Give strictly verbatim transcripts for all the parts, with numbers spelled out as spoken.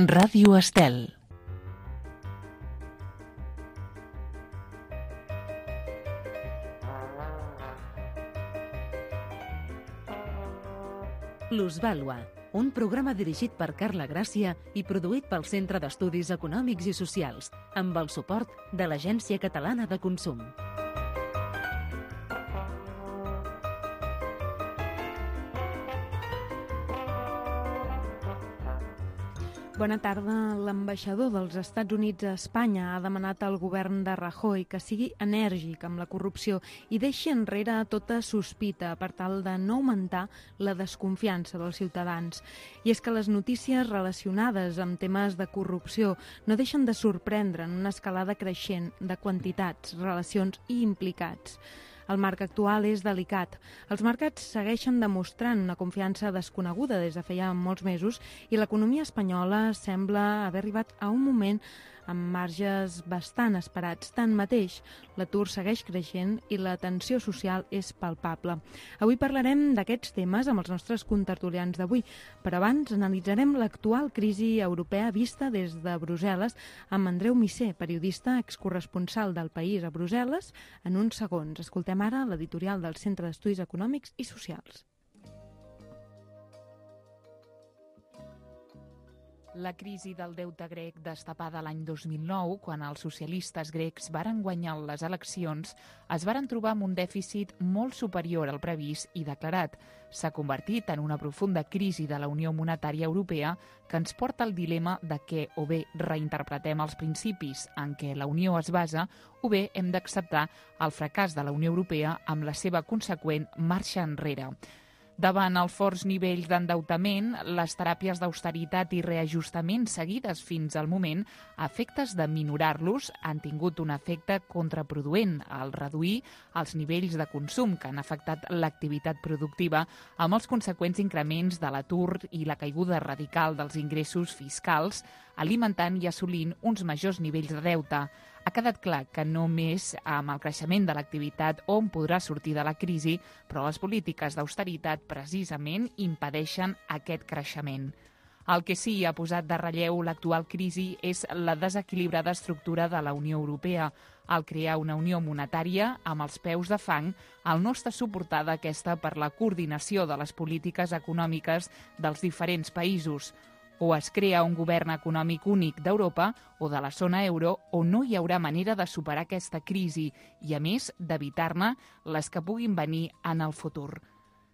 Ràdio Estel. Plusvàlua, un programa dirigit per Carla Gràcia i produït pel Centre d'Estudis Econòmics i Socials, amb el suport de l'Agència Catalana de Consum. Bona tarda. L'ambaixador dels Estats Units a Espanya ha demanat al govern de Rajoy que sigui enèrgic amb la corrupció i deixi enrere tota sospita per tal de no augmentar la desconfiança dels ciutadans. I és que les notícies relacionades amb temes de corrupció no deixen de sorprendre en una escalada creixent de quantitats, relacions i implicats. El marc actual és delicat. Els mercats segueixen demostrant una confiança desconeguda des de feia molts mesos i l'economia espanyola sembla haver arribat a un moment amb marges bastant esperats. Tanmateix, l'atur segueix creixent i la tensió social és palpable. Avui parlarem d'aquests temes amb els nostres contertulians d'avui, però abans analitzarem l'actual crisi europea vista des de Brussel·les amb Andreu Missé, periodista excorresponsal del País a Brussel·les, en uns segons. Escoltem ara l'editorial del Centre d'Estudis Econòmics i Socials. La crisi del deute grec destapada l'any dos mil nou, quan els socialistes grecs varen guanyar les eleccions, es varen trobar amb un dèficit molt superior al previst i declarat. S'ha convertit en una profunda crisi de la Unió Monetària Europea que ens porta al dilema de que o bé reinterpretem els principis en què la Unió es basa o bé hem d'acceptar el fracàs de la Unió Europea amb la seva conseqüent marxa enrere. Davant els forts nivells d'endeutament, les teràpies d'austeritat i reajustament seguides fins al moment, a efectes de minorar-los, han tingut un efecte contraproduent al reduir els nivells de consum que han afectat l'activitat productiva amb els conseqüents increments de l'atur i la caiguda radical dels ingressos fiscals, alimentant i assolint uns majors nivells de deute. Ha quedat clar que només amb el creixement de l'activitat hom podrà sortir de la crisi, però les polítiques d'austeritat precisament impedeixen aquest creixement. El que sí ha posat de relleu l'actual crisi és la desequilibrada estructura de la Unió Europea. Al crear una unió monetària amb els peus de fang, al no estar suportada aquesta per la coordinació de les polítiques econòmiques dels diferents països. O es crea un govern econòmic únic d'Europa o de la zona euro o no hi haurà manera de superar aquesta crisi i, a més, d'evitar-ne les que puguin venir en el futur.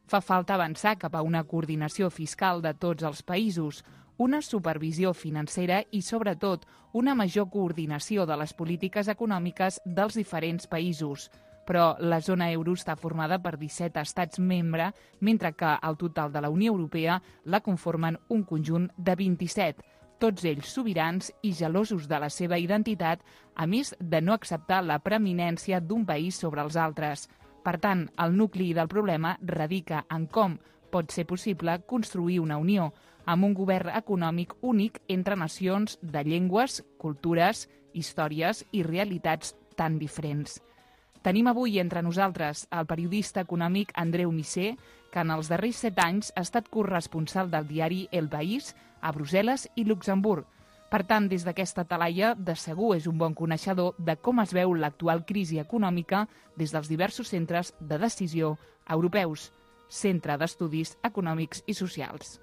Fa falta avançar cap a una coordinació fiscal de tots els països, una supervisió financera i, sobretot, una major coordinació de les polítiques econòmiques dels diferents països. Però la zona euro està formada per disset estats membres, mentre que el total de la Unió Europea la conformen un conjunt de vint-i-set, tots ells sobirans i gelosos de la seva identitat, a més de no acceptar la preeminència d'un país sobre els altres. Per tant, el nucli del problema radica en com pot ser possible construir una unió, amb un govern econòmic únic entre nacions de llengües, cultures, històries i realitats tan diferents. Tenim avui entre nosaltres el periodista econòmic Andreu Missé, que en els darrers set anys ha estat corresponsal del diari El País a Brussel·les i Luxemburg. Per tant, des d'aquesta talaia, de segur és un bon coneixedor de com es veu l'actual crisi econòmica des dels diversos centres de decisió europeus. Centre d'Estudis Econòmics i Socials.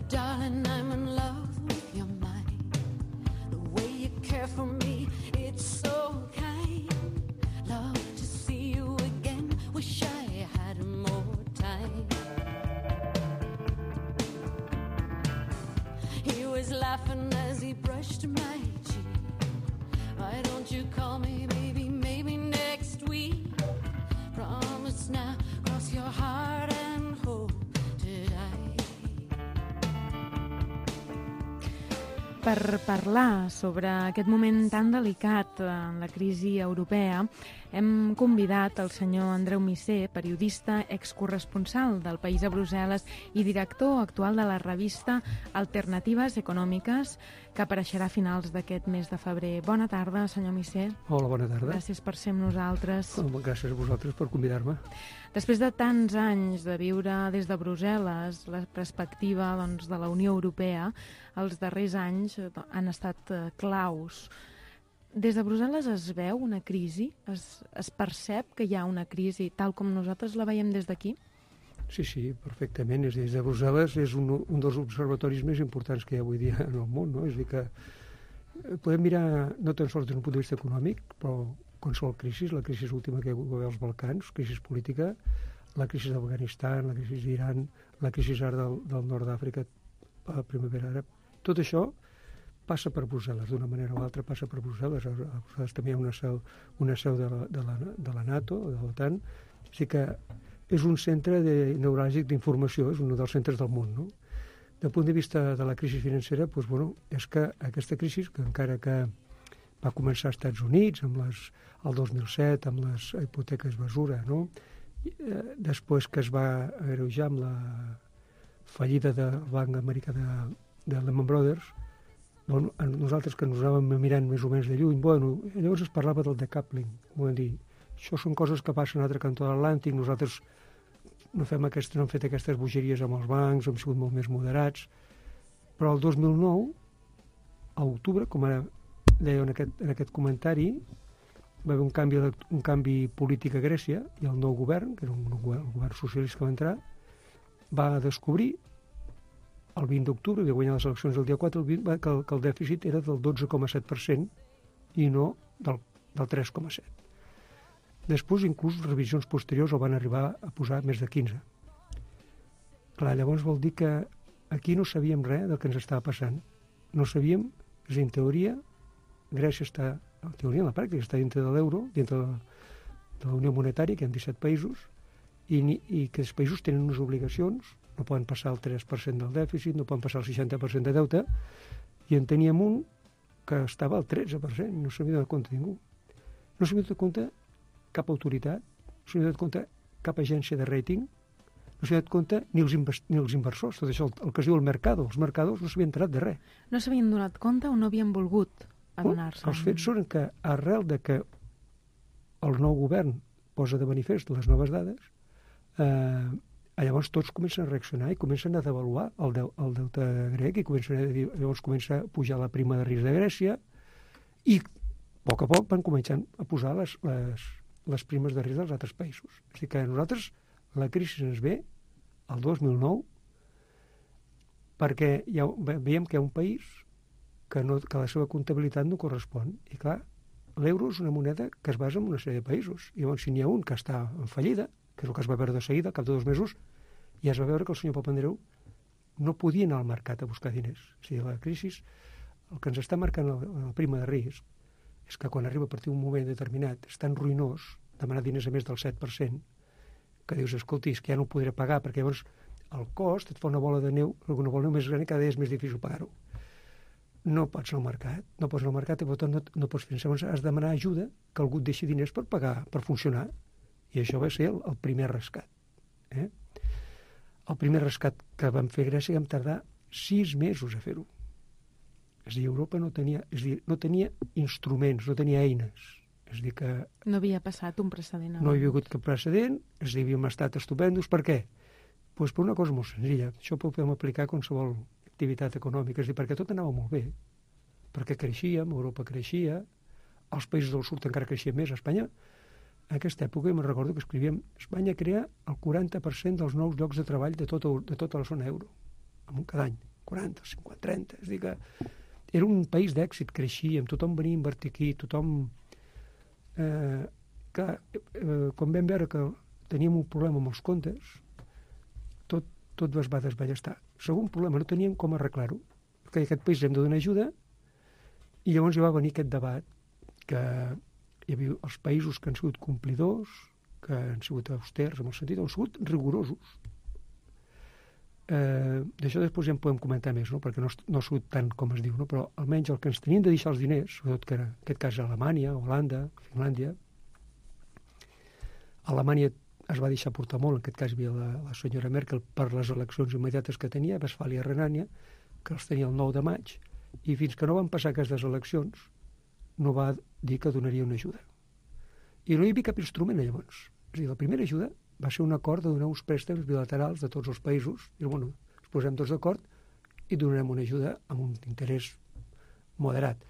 Darling, I'm in love with your mind. The way you care for me, it's so kind. Love to see you again, wish I had more time. He was laughing as he brushed my cheek. Why don't you call me, baby, maybe next week? Promise now, cross your heart and hold it tight. Per parlar sobre aquest moment tan delicat en la crisi europea, hem convidat el senyor Andreu Missé, periodista excorresponsal del País a Brussel·les i director actual de la revista Alternatives Econòmiques, que apareixerà a finals d'aquest mes de febrer. Bona tarda, senyor Missé. Hola, bona tarda. Gràcies per ser amb nosaltres. Gràcies a vosaltres per convidar-me. Després de tants anys de viure des de Brussel·les, la perspectiva doncs, de la Unió Europea, els darrers anys han estat eh, claus. Des de Brussel·les es veu una crisi? Es, es percep que hi ha una crisi tal com nosaltres la veiem des d'aquí? Sí, sí, perfectament. És des de Brussel·les és un, un dels observatoris més importants que hi ha avui dia en el món, no? És a dir que podem mirar no tan sols des d'un punt de vista econòmic, però qualsevol crisi, la crisi última que hi va haver als Balcans, crisi política, la crisi d'Afganistan, la crisi d'Iran, la crisi ara del, del nord d'Àfrica, a la primavera àrab, tot això passa per Brussel·les, d'una manera o altra passa per Brussel·les. A Brussel·les també hi ha una seu, una seu de, la, de, la, de la NATO, de l'OTAN, o sigui que és un centre de, neuràlgic d'informació, és un dels centres del món, no? Del punt de vista de la crisi financera, doncs, bueno, és que aquesta crisi, que encara que va començar als Estats Units, amb les, el dos mil set, amb les hipoteques basura, no? Eh, després que es va agreujar amb la fallida del banc americà de, de Lehman Brothers, bueno, nosaltres que ens anàvem mirant més o menys de lluny, bueno, llavors es parlava del decoupling, vull dir, això són coses que passen a l'altre cantó de l'Atlàntic, nosaltres no, fem aquestes, no hem fet aquestes bogeries amb els bancs, hem sigut molt més moderats, però el dos mil nou, a octubre, com ara deia en aquest, en aquest comentari, va haver un canvi, un canvi polític a Grècia i el nou govern, que era un govern, un govern socialista que va entrar, va descobrir el vint d'octubre, que guanyar les eleccions el dia quatre, el vint, que, el, que el dèficit era del dotze coma set per cent i no del, del tres coma set per cent. Després, inclús, revisions posteriors el van arribar a posar més de quinze. Clar, llavors vol dir que aquí no sabíem res del que ens estava passant. No sabíem, és a dir, en teoria, Grècia està, en teoria, en la pràctica, està dintre de l'euro, dintre de la, de la Unió Monetària, que hi ha disset països, i, i que els països tenen unes obligacions, no poden passar el tres per cent del dèficit, no poden passar el seixanta per cent de deute, i en teníem un que estava al tretze per cent, no s'havia donat compte ningú. No s'havia donat compte cap autoritat, no s'havia donat compte cap agència de rating, no s'havia donat compte ni els, ni els inversors, tot això, el, el que es diu el mercado, els mercados no s'havien enterat de res. No s'havien donat compte o no havien volgut adonar-se? Els fets són que arrel de que el nou govern posa de manifest les noves dades, eh, llavors tots comencen a reaccionar i comencen a devaluar el, de, el deute grec i comencen a dir, llavors comença a pujar la prima de risc de Grècia i a poc a poc van començar a posar les, les, les primes de risc dels altres països. És a dir, que a nosaltres la crisi ens ve el dos mil nou perquè ja veiem que hi ha un país que, no, que la seva comptabilitat no correspon. I clar, l'euro és una moneda que es basa en una sèrie de països. I llavors, si n'hi ha un que està en fallida, que és el que es va veure de seguida, al cap de dos mesos, ja es va veure que el senyor Papandreou no podia anar al mercat a buscar diners. O sigui, la crisi, el que ens està marcant la, la prima de risc, és que quan arriba a partir d'un moment determinat és tan ruïnós demanar diners a més del set per cent que dius, escolti, és que ja no ho podré pagar, perquè llavors el cost et fa una bola de neu, una bola de neu més gran i cada dia és més difícil pagar-ho. No pots anar al mercat, no pots anar al mercat i per tant no, no pots finançar. Llavors has de demanar ajuda, que algú et deixi diners per pagar, per funcionar. I això va ser el, el primer rescat. Eh? El primer rescat que vam fer a Grècia vam tardar sis mesos a fer-ho. És a dir, Europa no tenia, és a dir, no tenia instruments, no tenia eines. És a dir, que no havia passat un precedent. No hi havia hagut cap precedent, és a dir, havíem estat estupendos. Per què? Pues per una cosa molt senzilla. Això ho podem aplicar a qualsevol activitat econòmica. És a dir, perquè tot anava molt bé. Perquè creixíem, Europa creixia, els països del sud encara creixien més. A Espanya, en aquesta època, jo me'n recordo que escrivíem Espanya crea el quaranta per cent dels nous llocs de treball de tota, de tota la zona euro. Cada any. quaranta, cinquanta, trenta. És a dir, que era un país d'èxit, creixíem, tothom venia a invertir aquí, tothom... Eh, que, eh, quan vam veure que teníem un problema amb els comptes, tot, tot es va desballestar. Segon problema, no teníem com arreglar-ho. Perquè aquest país hem de donar ajuda i llavors hi va venir aquest debat que hi havia els països que han sigut complidors, que han sigut austers, en el sentit, han sigut rigorosos. eh, d'això després ja en podem comentar més, no? Perquè no, no ha sigut tant com es diu, no? Però almenys el que ens tenien de deixar els diners, sobretot que era, en aquest cas Alemanya, Holanda, Finlàndia, Alemanya es va deixar portar molt, en aquest cas hi havia la, la senyora Merkel per les eleccions immediates que tenia, Westfàlia i Renània, que els tenia el nou de maig, i fins que no van passar aquestes eleccions no va dir que donaria una ajuda. I no hi havia cap instrument llavors. És a dir, la primera ajuda va ser un acord de donar uns préstecs bilaterals de tots els països, i bueno, ens posem tots d'acord i donarem una ajuda amb un interès moderat.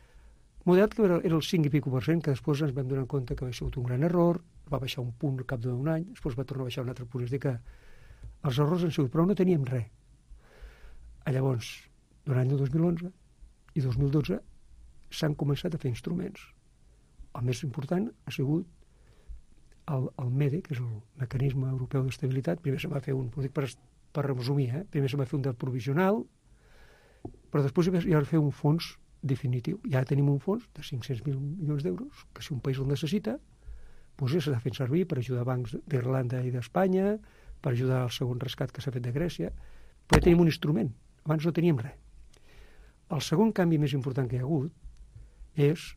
Moderat que era, era el cinc i pico per cent, que després ens vam donar compte que havia sigut un gran error, va baixar un punt al cap d'un any, després va tornar a baixar un altre punt. És a dir que els errors han sigut, però no teníem res. Llavors, durant l'any dos mil onze i dos mil dotze s'han començat a fer instruments. El més important ha sigut el, el MEDE, que és el Mecanisme Europeu d'Estabilitat. Primer se va fer un, ho dic per, per resumir, eh? Primer se va fer un del provisional, però després hi va fer un fons definitiu. Ja tenim un fons de cinc-cents mil milions d'euros, que si un país el necessita, doncs ja s'ha fet servir per ajudar bancs d'Irlanda i d'Espanya, per ajudar al segon rescat que s'ha fet de Grècia, però ja tenim un instrument. Abans no teníem res. El segon canvi més important que hi ha hagut és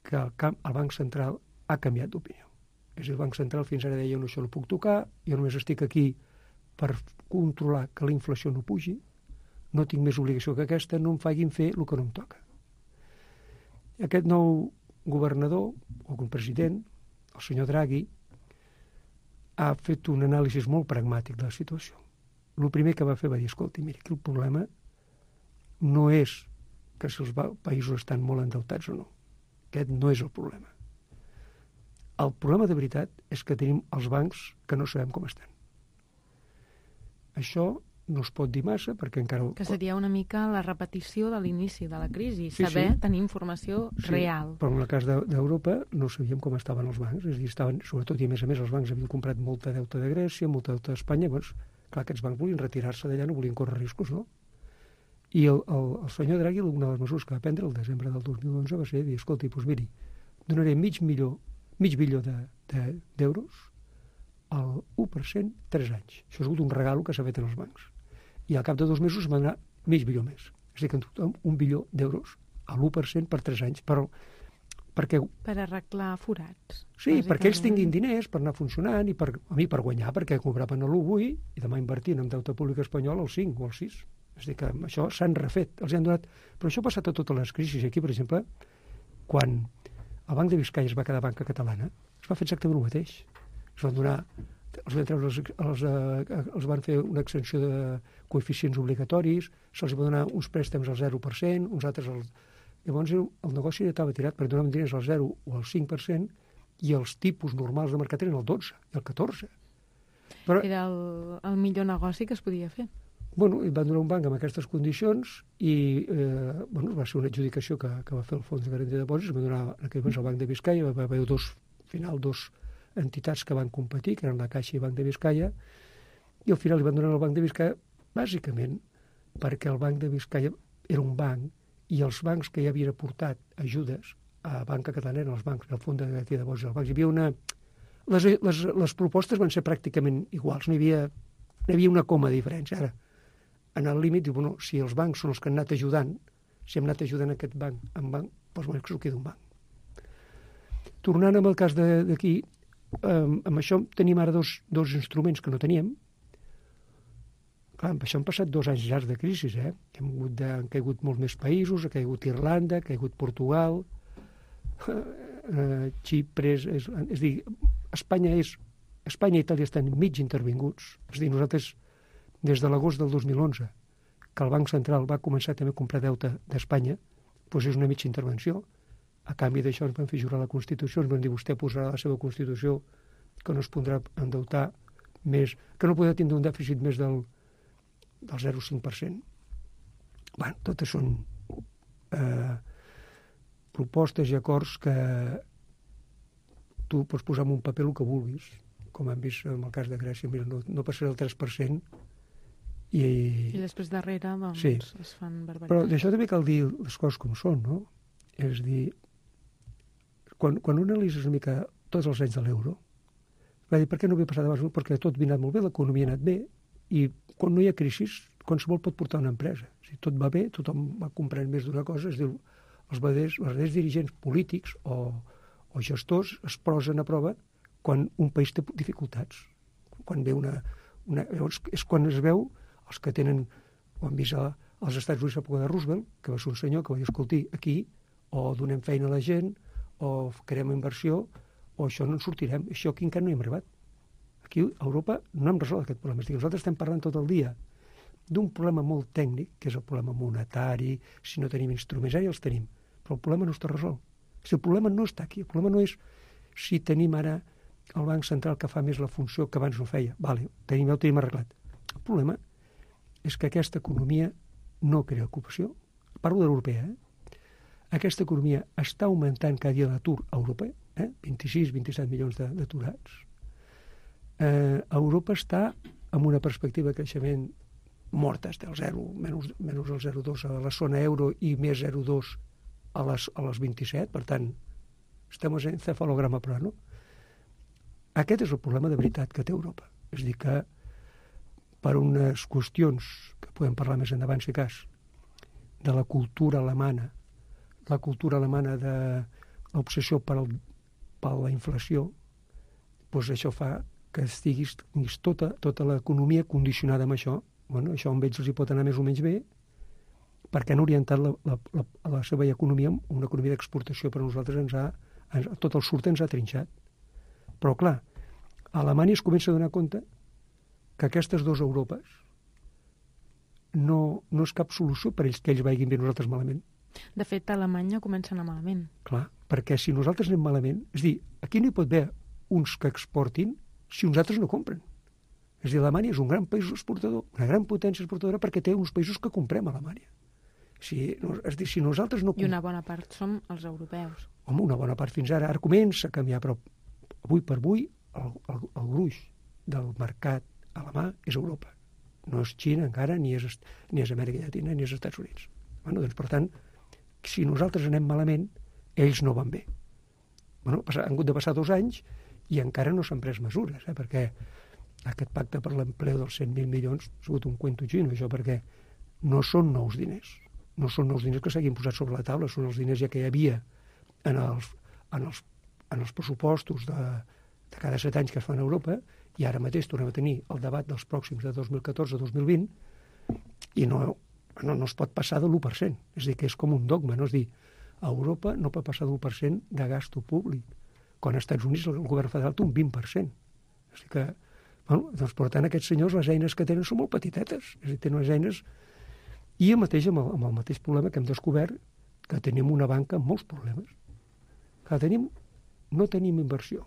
que el, camp, el Banc Central ha canviat d'opinió. És a dir, el Banc Central fins ara deia no, això no puc tocar, jo només estic aquí per controlar que la inflació no pugi, no tinc més obligació que aquesta, no em facin fer el que no em toca. Aquest nou governador, o un president, el senyor Draghi, ha fet un anàlisi molt pragmàtic de la situació. El primer que va fer va dir, escolta, mira, aquí el problema no és que si els països estan molt endeutats o no. Aquest no és el problema. El problema de veritat és que tenim els bancs que no sabem com estan. Això no es pot dir massa perquè encara... Que seria una mica la repetició de l'inici de la crisi, sí, saber sí. tenir informació sí, real. Però en el cas d'Europa no sabíem com estaven els bancs. És a dir, estaven, sobretot i a més a més els bancs havien comprat molta deute de Grècia, molta deute d'Espanya, doncs clar, aquests bancs volien retirar-se d'allà, no volien córrer riscos, no? I el, el, el senyor Draghi, una de les mesures que va prendre el desembre del dos mil onze va ser dir, escolti, doncs miri, donaré mig milió, mig bilió d'euros de, de, al u per cent tres anys. Això ha sigut un regalo que s'ha fet en els bancs. I al cap de dos mesos va donar mig bilió més. És a dir, que en total un bilió d'euros a l'u per cent per tres anys. Però, perquè... Per arreglar forats. Sí, perquè ells tinguin diners per anar funcionant i per, a mi per guanyar, perquè cobraven a l'u avui i demà invertint en deute públic espanyol al cinc o al sis. És a dir, que això s'han refet, els han donat... Però això ha passat a totes les crisis. Aquí, per exemple, quan el Banc de Biscaia es va quedar banca catalana, es va fer exactament el mateix. Es van donar... Els van, treure, els, els, els van fer una extensió de coeficients obligatoris, se'ls va donar uns préstecs al zero per cent, uns altres al... Llavors el, el negoci ja estava tirat, perquè donaven diners al zero o al cinc per cent i els tipus normals de mercat eren el dotze i el catorze. Però... Era el, el millor negoci que es podia fer. Bueno, van donar un banc amb aquestes condicions i eh, bueno, va ser una adjudicació que, que va fer el Fons de Garantia de Depòsits, va donar en aquell moment el Banc de Biscaia, va haver dos, al final dos entitats que van competir, que eren la Caixa i Banc de Biscaia, i al final li van donar al Banc de Biscaia bàsicament perquè el Banc de Biscaia era un banc i els bancs que ja havien aportat ajudes a Banca Catalana eren els bancs, el Fons de Garantia de Depòsits dels bancs. Hi havia una... Les, les, les propostes van ser pràcticament iguals, no hi havia, no hi havia una coma de diferència. Ara, en el límit, diu, bueno, si els bancs són els que han anat ajudant, si hem anat ajudant aquest banc en banc, doncs bueno, que s'ho queda un banc. Tornant amb el cas d'aquí, eh, amb això tenim ara dos, dos instruments que no teníem. Clar, amb això han passat dos anys llargs de crisi, eh? Hem, hagut de, han caigut molts més països, ha caigut Irlanda, ha caigut Portugal, eh, Xipre, és, és, és a dir, Espanya és... Espanya i Itàlia estan mig intervinguts. És a dir, nosaltres, des de l'agost del dos mil onze, que el Banc Central va començar també a comprar deute d'Espanya, doncs és una mitja intervenció. A canvi d'això ens van fer jurar la Constitució, ens van dir vostè posarà la seva Constitució que no es podrà endeutar més, que no podrà tindre un dèficit més del, del zero coma cinc per cent. Bé, totes són eh, propostes i acords que tu pots posar en un paper el que vulguis, com hem vist en el cas de Grècia, mira, no, no passarà el tres per cent i... I després darrere, doncs, sí. Es fan barbaritats. Però d'això també cal dir les coses com són, no? És a dir, quan, quan un analitzes una mica tots els anys de l'euro, va dir, per què no havia passat abans? Perquè tot havia anat molt bé, l'economia ha anat bé, i quan no hi ha crisi, qualsevol pot portar una empresa. Si tot va bé, tothom va comprant més d'una cosa, es diu, els verdaders, els verdaders dirigents polítics o, o gestors es posen a prova quan un país té dificultats. Quan ve una, una... Llavors, és quan es veu els que tenen, ho han vist a, als Estats Units a l'època de Roosevelt, que va ser un senyor que va dir, escolti, aquí o donem feina a la gent, o creem inversió, o això no en sortirem. Això aquí encara no hi hem arribat. Aquí a Europa no hem resolt aquest problema. És dir, nosaltres estem parlant tot el dia d'un problema molt tècnic, que és el problema monetari, si no tenim instruments, ara ja els tenim, però el problema no està resolt. Si el problema no està aquí, el problema no és si tenim ara el Banc Central que fa més la funció que abans no feia. Vale, tenim, ja ho tenim arreglat. El problema és que aquesta economia no crea ocupació. Parlo de l'europea, eh? Aquesta economia està augmentant cada dia l'atur a Europa, eh? vint-i-sis a vint-i-set milions d'aturats. Eh, Europa està amb una perspectiva de creixement morta, està al zero, menys, menys el zero coma dos a la zona euro i més zero coma dos a les, a les vint-i-set, per tant, estem en cefalograma plano. Aquest és el problema de veritat que té Europa. És a dir, que per unes qüestions que podem parlar més endavant, si cas, de la cultura alemana, la cultura alemana de l'obsessió per, el, per la inflació, doncs això fa que estiguis, tinguis tota, tota l'economia condicionada amb això. Bueno, això amb ells els hi pot anar més o menys bé, perquè han orientat la, la, la, la seva economia en una economia d'exportació, però a nosaltres ens ha, ens, tot el surt ens ha trinxat. Però, clar, a Alemanya es comença a donar compte que aquestes dues Europes no, no és cap solució per ells que ells vagin bé, nosaltres malament. De fet, a Alemanya comença a anar malament. Clar, perquè si nosaltres anem malament, és dir, aquí no hi pot haver uns que exportin si uns altres no compren. És a dir, Alemanya és un gran país exportador, una gran potència exportadora perquè té uns països que comprem a Alemanya. Si, no, és dir, si nosaltres no... I una bona part som els europeus. Home, una bona part fins ara. Ara comença a canviar, però avui per avui el, el, el gruix del mercat alemà és Europa. No és Xina encara, ni és, ni és Amèrica Llatina, ni és Estats Units. Bueno, doncs, per tant, si nosaltres anem malament, ells no van bé. Bueno, han hagut de passar dos anys i encara no s'han pres mesures, eh, perquè aquest pacte per l'empleo dels cent mil milions ha sigut un cuento xino, això, perquè no són nous diners. No són nous diners que s'hagin posat sobre la taula, són els diners ja que hi havia en els, en els, en els pressupostos de, de cada set anys que es fan a Europa, i ara mateix tornem a tenir el debat dels pròxims de dos mil catorze a dos mil vint, i no, no, no es pot passar de l'u per cent. És a dir, que és com un dogma, no? És dir, a Europa no pot passar de l'u per cent de gasto públic, quan als Estats Units el govern federal té un vint per cent. És a dir que, bueno, doncs, per tant, aquests senyors, les eines que tenen són molt petitetes. És a dir, tenen unes eines... I el mateix amb el, amb el mateix problema que hem descobert, que tenim una banca amb molts problemes. Que tenim, no tenim inversió.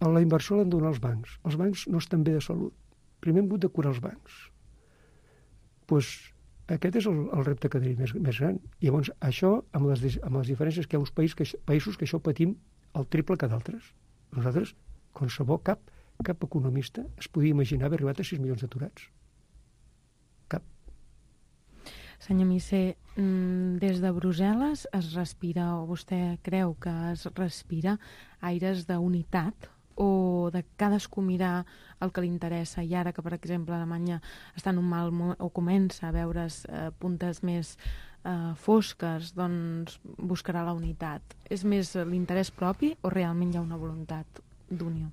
La inversió l'han de donar els bancs. Els bancs no estan bé de salut. Primer hem hagut de curar els bancs. Pues, aquest és el, el repte que tenim més, més gran. I llavors, això, amb les, amb les diferències que hi ha uns països que, països que això patim el triple que d'altres. Nosaltres, qualsevol, cap, cap economista es podia imaginar haver arribat a sis milions d'aturats. Cap. Senyor Missé, des de Brussel·les es respira, o vostè creu que es respira aires d'unitat, o de cadascú mirar el que li interessa, i ara que, per exemple, Alemanya està en un mal moment, o comença a veure's eh, puntes més eh, fosques, doncs buscarà la unitat. És més l'interès propi o realment hi ha una voluntat d'unió?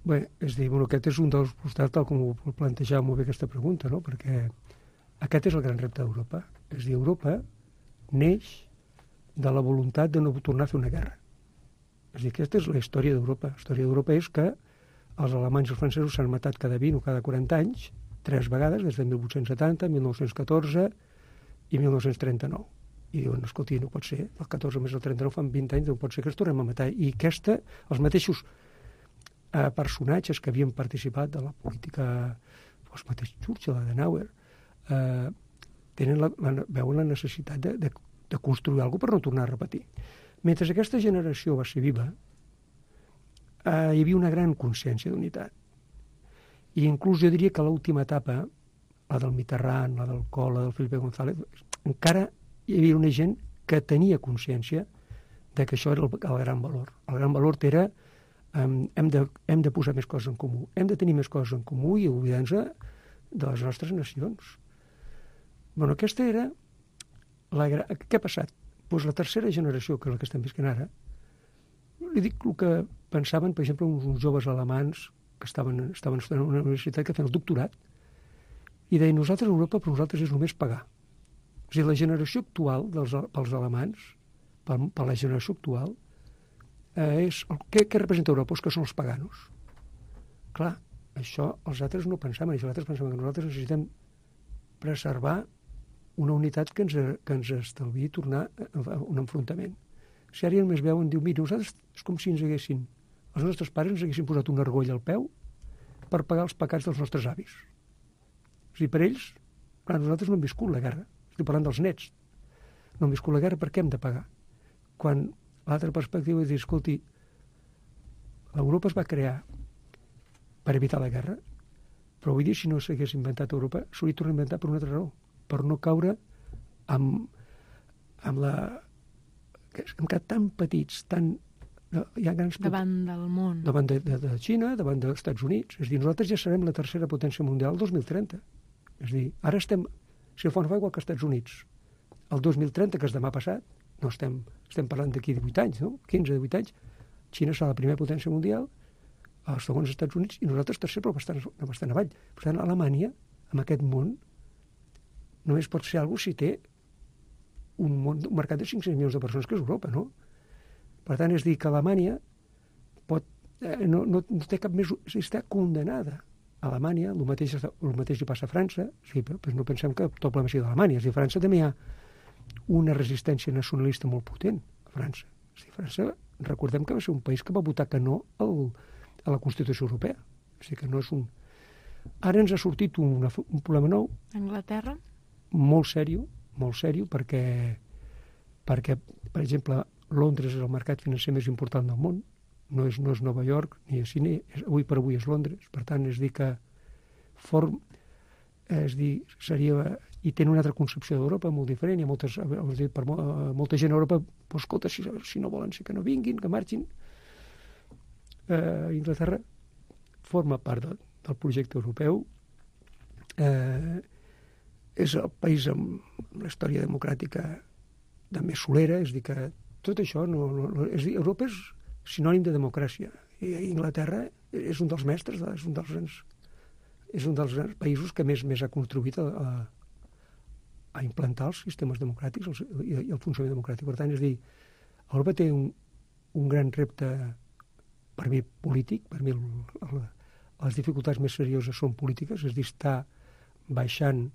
Bé, és dir, bueno, aquest és un dels costats, tal com ho plantejava molt bé aquesta pregunta, no? Perquè aquest és el gran repte d'Europa. És dir, Europa neix de la voluntat de no tornar a fer una guerra. És dir, aquesta és la història d'Europa. La història d'Europa és que els alemanys i els francesos s'han matat cada vint o cada quaranta anys, tres vegades, des de mil vuit-cents setanta, mil nou-cents catorze i mil nou-cents trenta-nou. I diuen, escolti, no pot ser, el catorze més el trenta-nou fan vint anys, no pot ser que ens tornem a matar. I aquesta, els mateixos eh, personatges que havien participat de la política, els mateixos Churchill, Adenauer, eh, tenen la, la, veuen la necessitat de, de, de construir alguna cosa per no tornar a repetir. Mentre aquesta generació va ser viva, eh, hi havia una gran consciència d'unitat. I inclús jo diria que l'última etapa, la del Mitterrand, la del Kohl, la del Felipe González, encara hi havia una gent que tenia consciència de que això era el, el gran valor. El gran valor era um, hem, de, hem de posar més coses en comú, hem de tenir més coses en comú i oblidar-nos de les nostres nacions. Bueno, aquesta era... La gra... Què ha passat? Doncs la tercera generació, que és la que estem visquent ara, li dic el que pensaven, per exemple, uns, uns joves alemans que estaven, estaven estudiant a una universitat que feien el doctorat i deien, nosaltres a Europa per nosaltres és només pagar. És a dir, la generació actual dels, pels alemans, per, per la generació actual, eh, és... El, què, què representa Europa? Pues que són els paganos. Clar, això els altres no pensaven, els altres pensaven que nosaltres necessitem preservar una unitat que ens, que ens estalviï tornar a un enfrontament. Si ara només veuen, diu, mira, nosaltres és com si ens haguessin, els nostres pares ens haguessin posat un argoll al peu per pagar els pecats dels nostres avis. O sigui, per ells, clar, nosaltres no hem viscut la guerra, estic parlant dels nets, no hem viscut la guerra, per què hem de pagar? Quan l'altra perspectiva és dir, escolti, Europa es va crear per evitar la guerra, però avui dia, si no s'hagués inventat Europa, s'hauria tornat a inventar per una altra raó, per no caure amb, amb la... que hem quedat tan petits, tan... Hi ha grans... Davant del món. Davant de, de, de Xina, davant dels Estats Units. És a dir, nosaltres ja serem la tercera potència mundial el dos mil trenta. És a dir, ara estem... Si el fons fa igual que els Estats Units. El dos mil trenta, que és demà passat, no estem, estem parlant d'aquí divuit anys, no? quinze, divuit anys, Xina serà la primera potència mundial, els segons Estats Units, i nosaltres tercer, però bastant, bastant avall. Per tant, Alemanya, en aquest món, només pot ser alguna si té un, món, un mercat de cinc-cents milions de persones, que és Europa, no? Per tant, és dir que Alemanya pot, eh, no, no, no té cap més... Està condenada. A Alemanya, el mateix, el mateix li passa a França, sí, però, però no pensem que tot el problema sigui d'Alemanya. És dir, a França també hi ha una resistència nacionalista molt potent, a França. És dir, França, recordem que va ser un país que va votar que no al, a la Constitució Europea. És dir, que no és un... Ara ens ha sortit un, un problema nou. Anglaterra? Molt sèrio, molt sèrio, perquè, perquè, per exemple, Londres és el mercat financer més important del món, no és, no és Nova York, ni és Sydney, és, avui per avui és Londres, per tant, és dir que form, és dir, seria, i tenen una altra concepció d'Europa molt diferent, hi ha moltes, dir, per molta gent a Europa, pues, escolta, si, si no volen, sí que no vinguin, que marxin. Eh, Inglaterra forma part de, del projecte europeu, eh, és el país amb la història democràtica de més solera, és dir, que tot això, no, no, no, és dir, Europa és sinònim de democràcia, i Inglaterra és un dels mestres, és un dels, és un dels països que més, més ha contribuït a, a, a implantar els sistemes democràtics els, i, i el funcionament democràtic. Per tant, és dir, Europa té un, un gran repte, per mi, polític, per mi el, el, les dificultats més serioses són polítiques, és dir, està baixant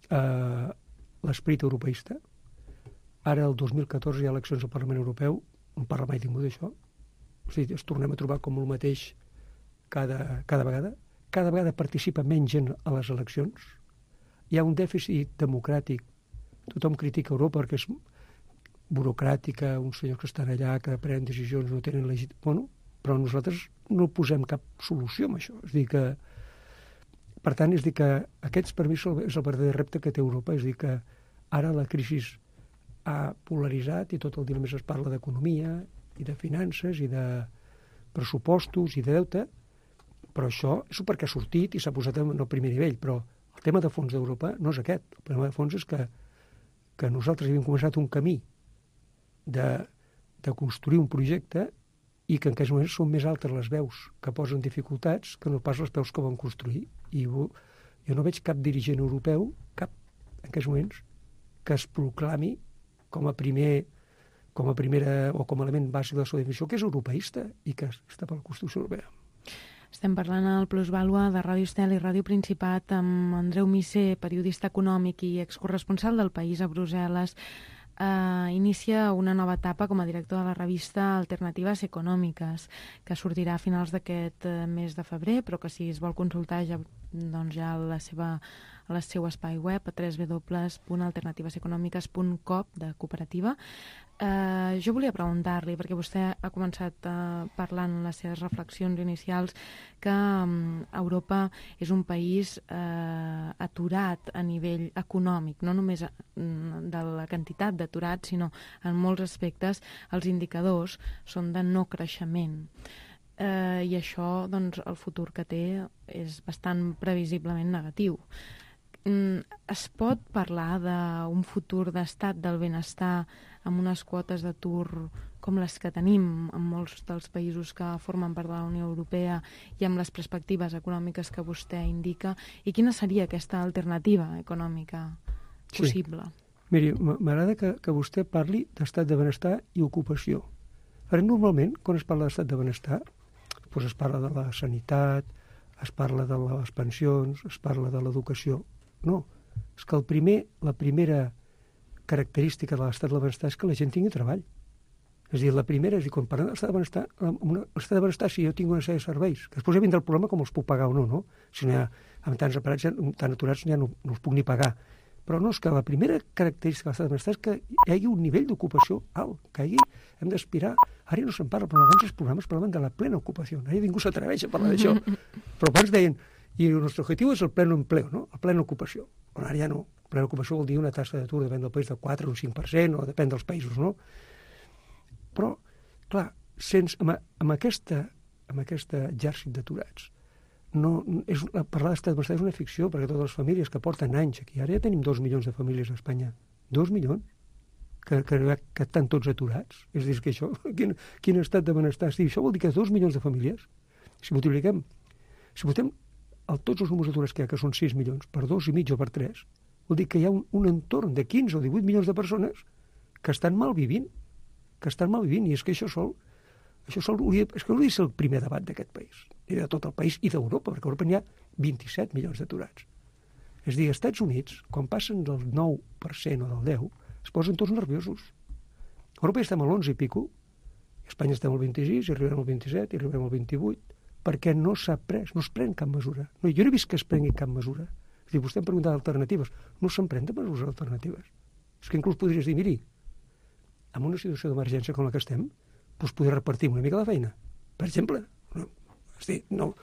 eh, l'esperit europeista. Ara, el dos mil catorze, hi ha eleccions al Parlament Europeu, no parla mai ningú d'això. O sigui, ens tornem a trobar com el mateix cada, cada vegada. Cada vegada participa menys gent a les eleccions. Hi ha un dèficit democràtic. Tothom critica Europa perquè és burocràtica, uns senyors que estan allà, que prenen decisions, no tenen legit... Bueno, però nosaltres no posem cap solució amb això. És dir que, per tant, és dir que aquests, per mi, és el verdader repte que té Europa. És dir que ara la crisi ha polaritzat i tot el dia només es parla d'economia i de finances i de pressupostos i de deute, però això és perquè ha sortit i s'ha posat en el primer nivell, però el tema de fons d'Europa no és aquest. El problema de fons és que, que nosaltres havíem començat un camí de, de construir un projecte i que en aquests moments són més altes les veus que posen dificultats que no pas les veus que van construir. I jo, jo no veig cap dirigent europeu, cap, en aquests moments, que es proclami com a primer, com a primera o com a element bàsic de la seva definició, que és europeista i que està per la Constitució Europea. Estem parlant al Plusvàlua de Ràdio Estel i Ràdio Principat amb Andreu Missé, periodista econòmic i excorresponsal del País a Brussel·les. Uh, inicia una nova etapa com a director de la revista Alternatives Econòmiques, que sortirà a finals d'aquest uh, mes de febrer, però que si es vol consultar ja, doncs ja la seva, al seu espai web a w w w punt alternatives econòmiques punt com de cooperativa. Uh, jo volia preguntar-li, perquè vostè ha començat uh, parlant en les seves reflexions inicials que um, Europa és un país uh, aturat a nivell econòmic, no només uh, de la quantitat d'aturats, sinó en molts aspectes els indicadors són de no creixement. eh, i això, doncs, el futur que té és bastant previsiblement negatiu. Mm, es pot parlar d'un futur d'estat del benestar amb unes quotes d'atur com les que tenim en molts dels països que formen part de la Unió Europea i amb les perspectives econòmiques que vostè indica? I quina seria aquesta alternativa econòmica possible? Sí. Miri, m'agrada que, que vostè parli d'estat de benestar i ocupació. Ara, normalment, quan es parla d'estat de benestar, doncs es parla de la sanitat, es parla de les pensions, es parla de l'educació. No, és que el primer, la primera característica de l'estat de benestar és que la gent tingui treball. És a dir, la primera, és a dir, quan parlem de l'estat de benestar, l'estat de benestar, si jo tinc una sèrie de serveis, que després ja vindrà el problema com els puc pagar o no, no? Si no hi ha, amb tants aparats, tan aturats, ja no, no els puc ni pagar. Però no, és que la primera característica de l'estat de benestar és que hi hagi un nivell d'ocupació alt, que hi hagi, hem d'aspirar, ara ja no se'n parla, però abans els programes parlaven de la plena ocupació, ara ningú s'atreveix a parlar d'això, però abans deien, i el nostre objectiu és el pleno empleo, no? La plena ocupació. Però ara ja no, plena ocupació vol dir una tassa d'atur, depèn del país, del quatre o un cinc per cent, o depèn dels països, no? Però, clar, sense, amb, amb, aquesta, amb aquesta exèrcit d'aturats, no, és, parlar d'estat de benestar és una ficció, perquè totes les famílies que porten anys aquí, ara ja tenim dos milions de famílies a Espanya, dos milions, que, que, que estan tots aturats. És a dir, que això, quin, quin estat de benestar? Sí, això vol dir que dos milions de famílies, si multipliquem, si votem el, tots els números d'aturats que hi ha, que són sis milions, per dos i mig o per tres, vol dir que hi ha un, un entorn de quinze o divuit milions de persones que estan mal vivint, que estan mal vivint, i és que això sol, això sol hauria, és que hauria de ser el primer debat d'aquest país, i de tot el país i d'Europa, perquè a Europa n'hi ha vint-i-set milions d'aturats. És a dir, als Estats Units, quan passen del nou per cent o del deu, es posen tots nerviosos. A Europa ja estem a l'onze i pico, a Espanya estem al vint-i-sis, i arribarem al vint-i-set, i arribarem al vint-i-vuit, perquè no s'ha pres, no es pren cap mesura. No, jo no he vist que es prengui cap mesura. És a dir, vostè em pregunta alternatives. No se'n pren de mesures alternatives. És que inclús podries dir, miri, en una situació d'emergència com la que estem, doncs poder repartir una mica la feina. Per exemple, no, és dir, no,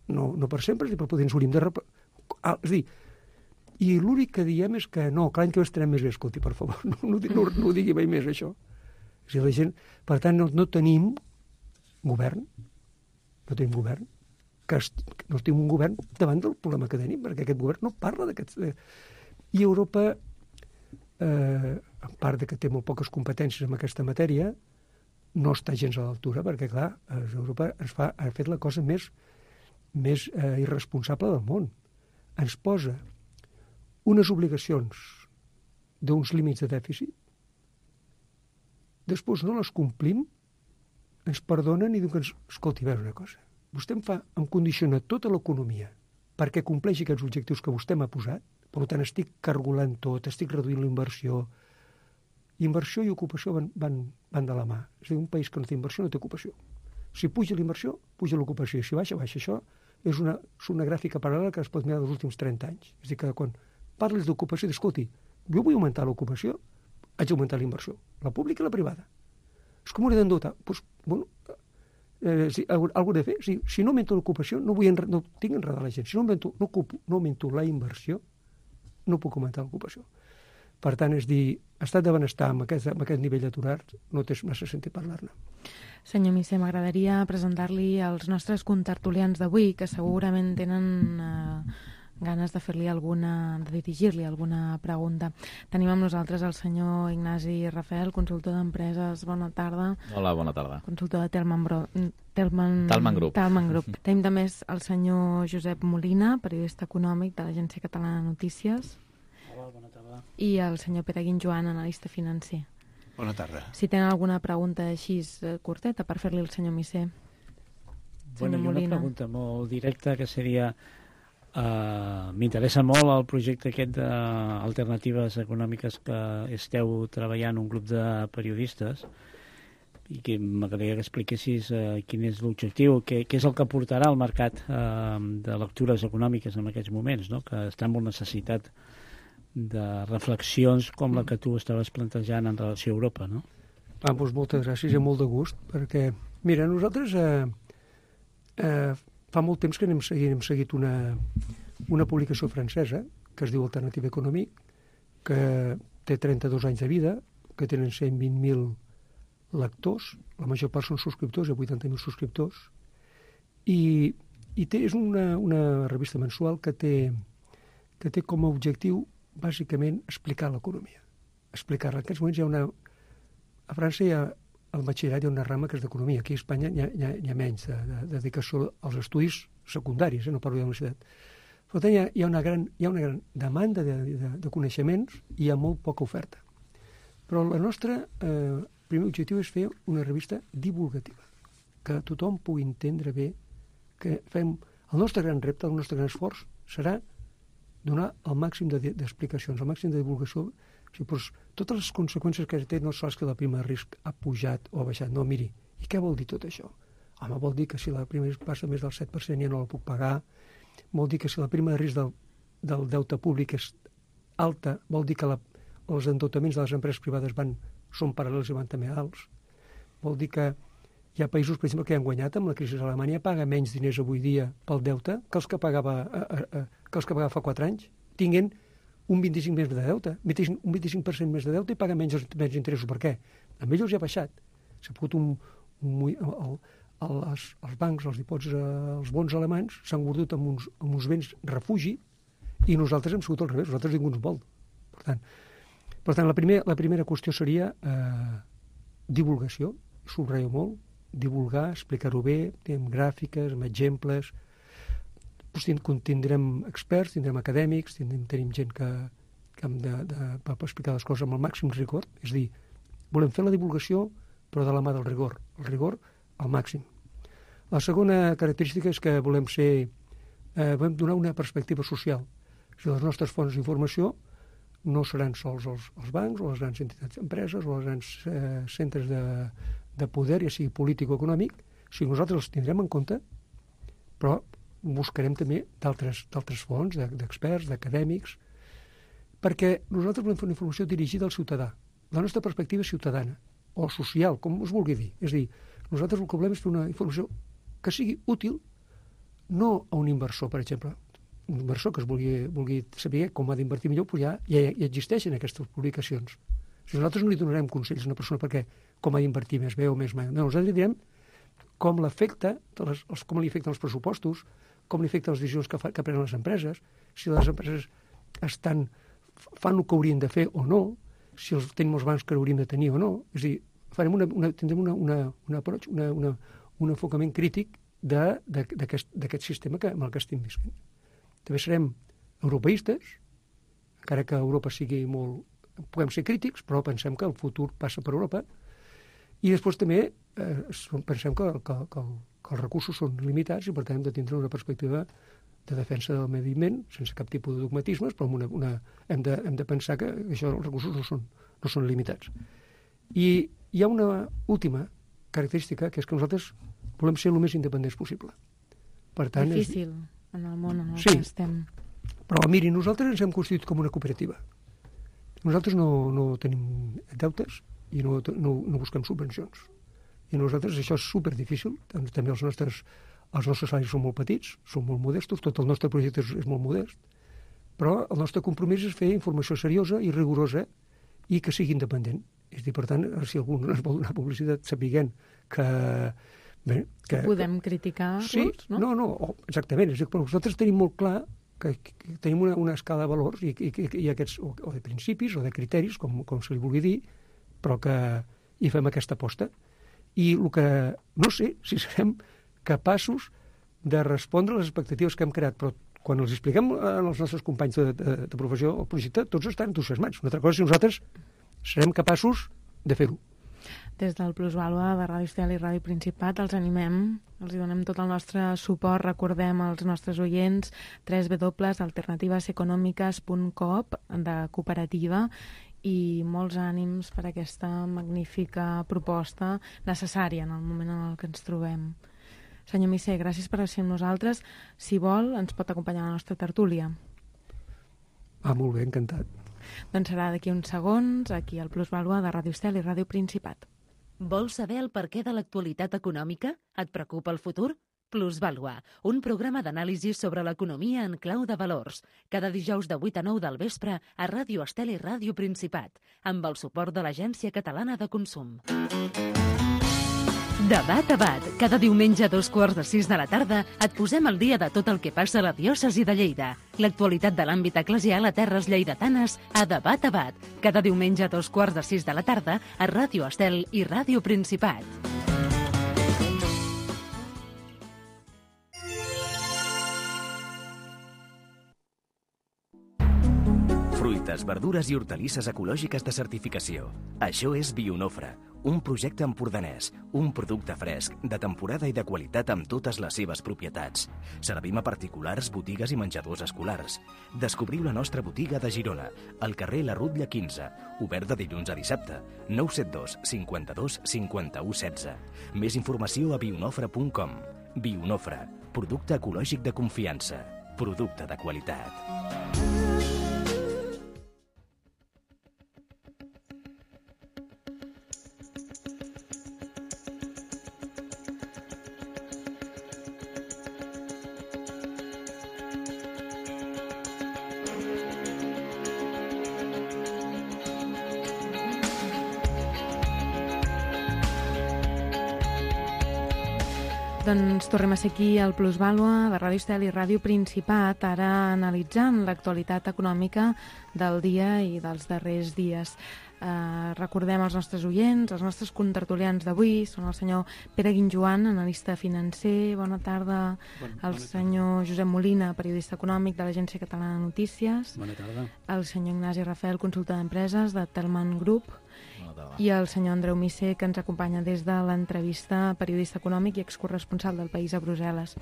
no, no per sempre, però potser ens hauríem de repartir. Ah, és dir, i l'únic que diem és que no, que l'any que ve estarem més bé, escolti, per favor, no, no, no, no ho digui mai més, això. És dir, la gent, per tant, no, no tenim govern, no tenim govern, que es, no tenim un govern davant del problema que tenim, perquè aquest govern no parla d'aquests... I Europa, eh, a part de que té molt poques competències en aquesta matèria, no està gens a l'altura, perquè, clar, Europa ens fa, ha fet la cosa més, més eh, irresponsable del món. Ens posa unes obligacions d'uns límits de dèficit, després no les complim, ens perdonen i diuen que ens... Escolti, veure una cosa, vostè em fa, em condiciona tota l'economia perquè compleixi aquests objectius que vostè m'ha posat, per tant estic cargolant tot, estic reduint la inversió. Inversió i ocupació van, van, van de la mà. És a dir, un país que no té inversió no té ocupació. Si puja la inversió, puja l'ocupació. Si baixa, baixa. Això és una, és una gràfica paral·lela que es pot mirar dels últims trenta anys. És a dir, que quan parles d'ocupació, escolti, jo vull augmentar l'ocupació, haig d'augmentar la inversió, la pública i la privada. És com m'hauré d'endeutar. Doncs, bueno, eh, si, algú de fer. Si, si no augmento l'ocupació, no, vull enre, no tinc enredar la gent. Si no augmento, no, ocupo, no augmento la inversió, no puc augmentar l'ocupació. Per tant, és dir, estat de benestar amb aquest, amb aquest nivell d'aturat no té massa sentit parlar-ne. Senyor Missé, m'agradaria presentar-li als nostres contertulians d'avui, que segurament tenen eh, ganes de fer-li alguna, de dirigir-li alguna pregunta. Tenim amb nosaltres el senyor Ignasi Rafel, consultor d'empreses. Bona tarda. Hola, bona tarda. Consultor de Telman, Bro... Telman... Talman Group. Talman Group. Tenim també el senyor Josep Molina, periodista econòmic de l'Agència Catalana de Notícies. Hola, bona tarda. I el senyor Pere Guinjoan, analista financer. Bona tarda. Si tenen alguna pregunta així curteta per fer-li al senyor Missé. Bueno, una pregunta molt directa que seria... Uh, m'interessa molt el projecte aquest d'alternatives econòmiques que esteu treballant un grup de periodistes i que m'agradaria que expliquessis uh, quin és l'objectiu, què, què és el que portarà al mercat uh, de lectures econòmiques en aquests moments, no? Que està amb necessitat de reflexions com la que tu estaves plantejant en relació a Europa, no? Ah, doncs moltes gràcies i molt de gust, perquè, mira, nosaltres eh, eh, fa molt temps que hem seguit, hem seguit una, una publicació francesa que es diu Alternative Economique, que té trenta-dos anys de vida, que tenen cent vint mil lectors, la major part són subscriptors, hi ha vuitanta mil subscriptors, I, i té, és una, una revista mensual que té, que té com a objectiu, bàsicament, explicar l'economia. Explicar-la. En aquests moments hi ha una... A França hi ha, al batxillerat hi ha una rama que és d'economia. Aquí a Espanya hi ha, hi ha, hi ha menys de, de, de dedicació als estudis secundaris, eh? No parlo de la universitat. Per tant, hi ha, hi ha, una, gran, hi ha una gran demanda de, de, de coneixements i hi ha molt poca oferta. Però el nostre eh, primer objectiu és fer una revista divulgativa, que tothom pugui entendre bé que fem... El nostre gran repte, el nostre gran esforç serà donar el màxim d'explicacions, el màxim de divulgació. O sigui, doncs, totes les conseqüències que té no sols que la prima de risc ha pujat o ha baixat. No, miri, i què vol dir tot això? Home, vol dir que si la prima de risc passa més del set per cent ja no la puc pagar, vol dir que si la prima de risc del, del deute públic és alta, vol dir que la, els endeutaments de les empreses privades van, són paral·lels i van també alts, vol dir que hi ha països, per exemple, que han guanyat amb la crisi. Alemanya paga menys diners avui dia pel deute que els que pagava, a, a, a, que els que pagava fa quatre anys, tinguent un vint-i-cinc per cent més de deute, un vint-i-cinc per cent més de deute i paga menys, menys interessos. Per què? A ells ja ha baixat. S'ha pogut un... un el, el, els, els bancs, els dipòsits, els bons alemanys s'han guardut amb uns, amb uns béns refugi i nosaltres hem sigut al revés, nosaltres ningú ens vol. Per tant, per tant la, primer, la primera qüestió seria eh, divulgació, subratllo molt, divulgar, explicar-ho bé, amb gràfiques, amb exemples. Doncs tindrem experts, tindrem acadèmics, tindrem, tenim gent que, que hem de, de, per explicar les coses amb el màxim rigor. És a dir, volem fer la divulgació, però de la mà del rigor. El rigor al màxim. La segona característica és que volem ser, eh, volem donar una perspectiva social. O sigui, les nostres fonts d'informació no seran sols els, els bancs o les grans entitats d'empreses o els grans eh, centres de, de poder, ja sigui polític o econòmic. O sigui, nosaltres els tindrem en compte, però buscarem també d'altres fonts, d'experts, d'acadèmics, perquè nosaltres volem fer una informació dirigida al ciutadà. La nostra perspectiva és ciutadana, o social, com us vulgui dir. És a dir, nosaltres el que volem és fer una informació que sigui útil, no a un inversor, per exemple. Un inversor que es vulgui, vulgui saber com ha d'invertir millor, però ja, ja, ja existeixen aquestes publicacions. O sigui, nosaltres no li donarem consells a una persona perquè com ha d'invertir més bé o més mai. No, nosaltres li direm com l'afecta, com li afecten els pressupostos, com li afecten les decisions que, fa, que prenen les empreses, si les empreses estan, fan el que haurien de fer o no, si els tenim els bancs que hauríem de tenir o no. És a dir, farem una, una, tindrem una, una, una approach, una, una, un enfocament crític d'aquest sistema que, amb el que estem visquent. També serem europeistes, encara que Europa sigui molt... Puguem ser crítics, però pensem que el futur passa per Europa. I després també eh, pensem que, que, que, que els recursos són limitats i per tant hem de tindre una perspectiva de defensa del medi ambient sense cap tipus de dogmatismes, però una, una, hem, de, hem de pensar que això, els recursos no són, no són limitats. I hi ha una última característica, que és que nosaltres volem ser el més independents possible. Per tant, difícil és... en el món en el sí, que estem. Però miri, nosaltres ens hem constituït com una cooperativa. Nosaltres no, no tenim deutes i no, no, no busquem subvencions. I nosaltres això és superdifícil. També els nostres, els nostres salaris són molt petits, són molt modestos, tot el nostre projecte és, és molt modest, però el nostre compromís és fer informació seriosa i rigorosa i que sigui independent. És a dir, per tant, si algú ens vol donar publicitat sapiguent que... Bé, que, que podem criticar-los, sí, no? No, no, exactament. És a dir, però nosaltres tenim molt clar que, que tenim una, una escala de valors i, i, i aquests, o, o de principis o de criteris, com, com se li vulgui dir, però que hi fem aquesta aposta. I el que no sé si serem capaços de respondre a les expectatives que hem creat, però quan els expliquem als nostres companys de, de, de professió el projecte, tots estan entusiasmats. Una altra cosa és si nosaltres serem capaços de fer-ho. Des del Plusvàlua de Ràdio Estel i Ràdio Principat els animem, els hi donem tot el nostre suport, recordem als nostres oients w w w punt alternatives econòmiques punt com de cooperativa i molts ànims per aquesta magnífica proposta necessària en el moment en el que ens trobem. Senyor Misser, gràcies per ser amb nosaltres. Si vol, ens pot acompanyar a la nostra tertúlia. Ah, molt bé, encantat. Doncs serà d'aquí uns segons, aquí al Plusvàlua de Ràdio Estel i Ràdio Principat. Vols saber el perquè de l'actualitat econòmica? Et preocupa el futur? Plusvàlua, un programa d'anàlisi sobre l'economia en clau de valors, cada dijous de vuit a nou del vespre a Ràdio Estel i Ràdio Principat, amb el suport de l'Agència Catalana de Consum. Debat a bat. Cada diumenge a dos quarts de sis de la tarda et posem al dia de tot el que passa a la diòcesi de Lleida. L'actualitat de l'àmbit eclesial a terres lleidatanes a Debat a bat. Cada diumenge a dos quarts de sis de la tarda a Ràdio Estel i Ràdio Principat. Fruites, verdures i hortalisses ecològiques de certificació. Això és Bionofre, un projecte empordanès, un producte fresc, de temporada i de qualitat amb totes les seves propietats. Servim a particulars, botigues i menjadors escolars. Descobriu la nostra botiga de Girona, al carrer La Rutlla quinze, obert de dilluns a dissabte, nou set dos cinquanta-dos cinquanta-u setze. Més informació a bionofre punt com. Bionofre, producte ecològic de confiança, producte de qualitat. Doncs tornem a ser aquí al Plusvàlua de Ràdio Estel i Ràdio Principat, ara analitzant l'actualitat econòmica del dia i dels darrers dies. Eh, recordem els nostres oients, els nostres contertulians d'avui, són el senyor Pere Guinjoan, analista financer, bona tarda, bon, el bona senyor tarda. Josep Molina, periodista econòmic de l'Agència Catalana de Notícies, bona tarda. El senyor Ignasi Rafael, consultor d'empreses de Telman Group, i el senyor Andreu Misser, que ens acompanya des de l'entrevista, periodista econòmic i excorresponsal del País a Brussel·les.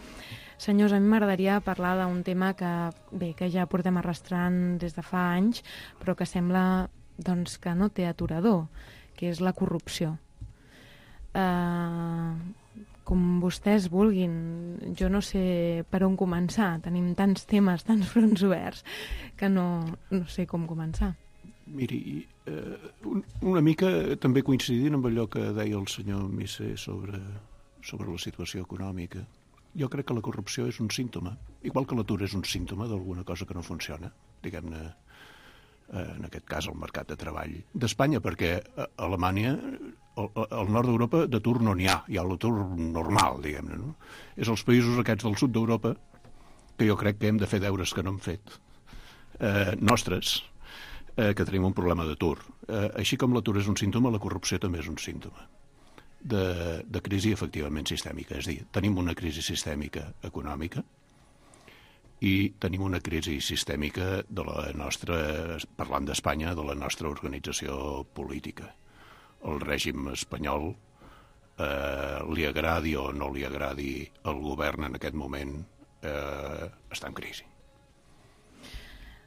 Senyors, a mi m'agradaria parlar d'un tema que, bé, que ja portem arrastrant des de fa anys, però que sembla doncs, que no té aturador, que és la corrupció. Uh, com vostès vulguin, jo no sé per on començar. Tenim tants temes, tants fronts oberts, que no, no sé com començar. Miri, eh, una mica també coincidint amb allò que deia el senyor Misser sobre, sobre la situació econòmica, jo crec que la corrupció és un símptoma, igual que l'atur és un símptoma d'alguna cosa que no funciona, diguem-ne, eh, en aquest cas el mercat de treball d'Espanya, perquè a Alemanya, al, al nord d'Europa, d'atur no n'hi ha, hi ha l'atur normal, diguem-ne, no? És els països aquests del sud d'Europa que jo crec que hem de fer deures que no hem fet, eh, nostres, Eh, que tenim un problema d'atur. Eh, així com l'atur és un símptoma, la corrupció també és un símptoma de, de crisi efectivament sistèmica. És a dir, tenim una crisi sistèmica econòmica i tenim una crisi sistèmica de la nostra, parlant d'Espanya, de la nostra organització política. El règim espanyol, eh, li agradi o no li agradi el govern en aquest moment, eh, està en crisi.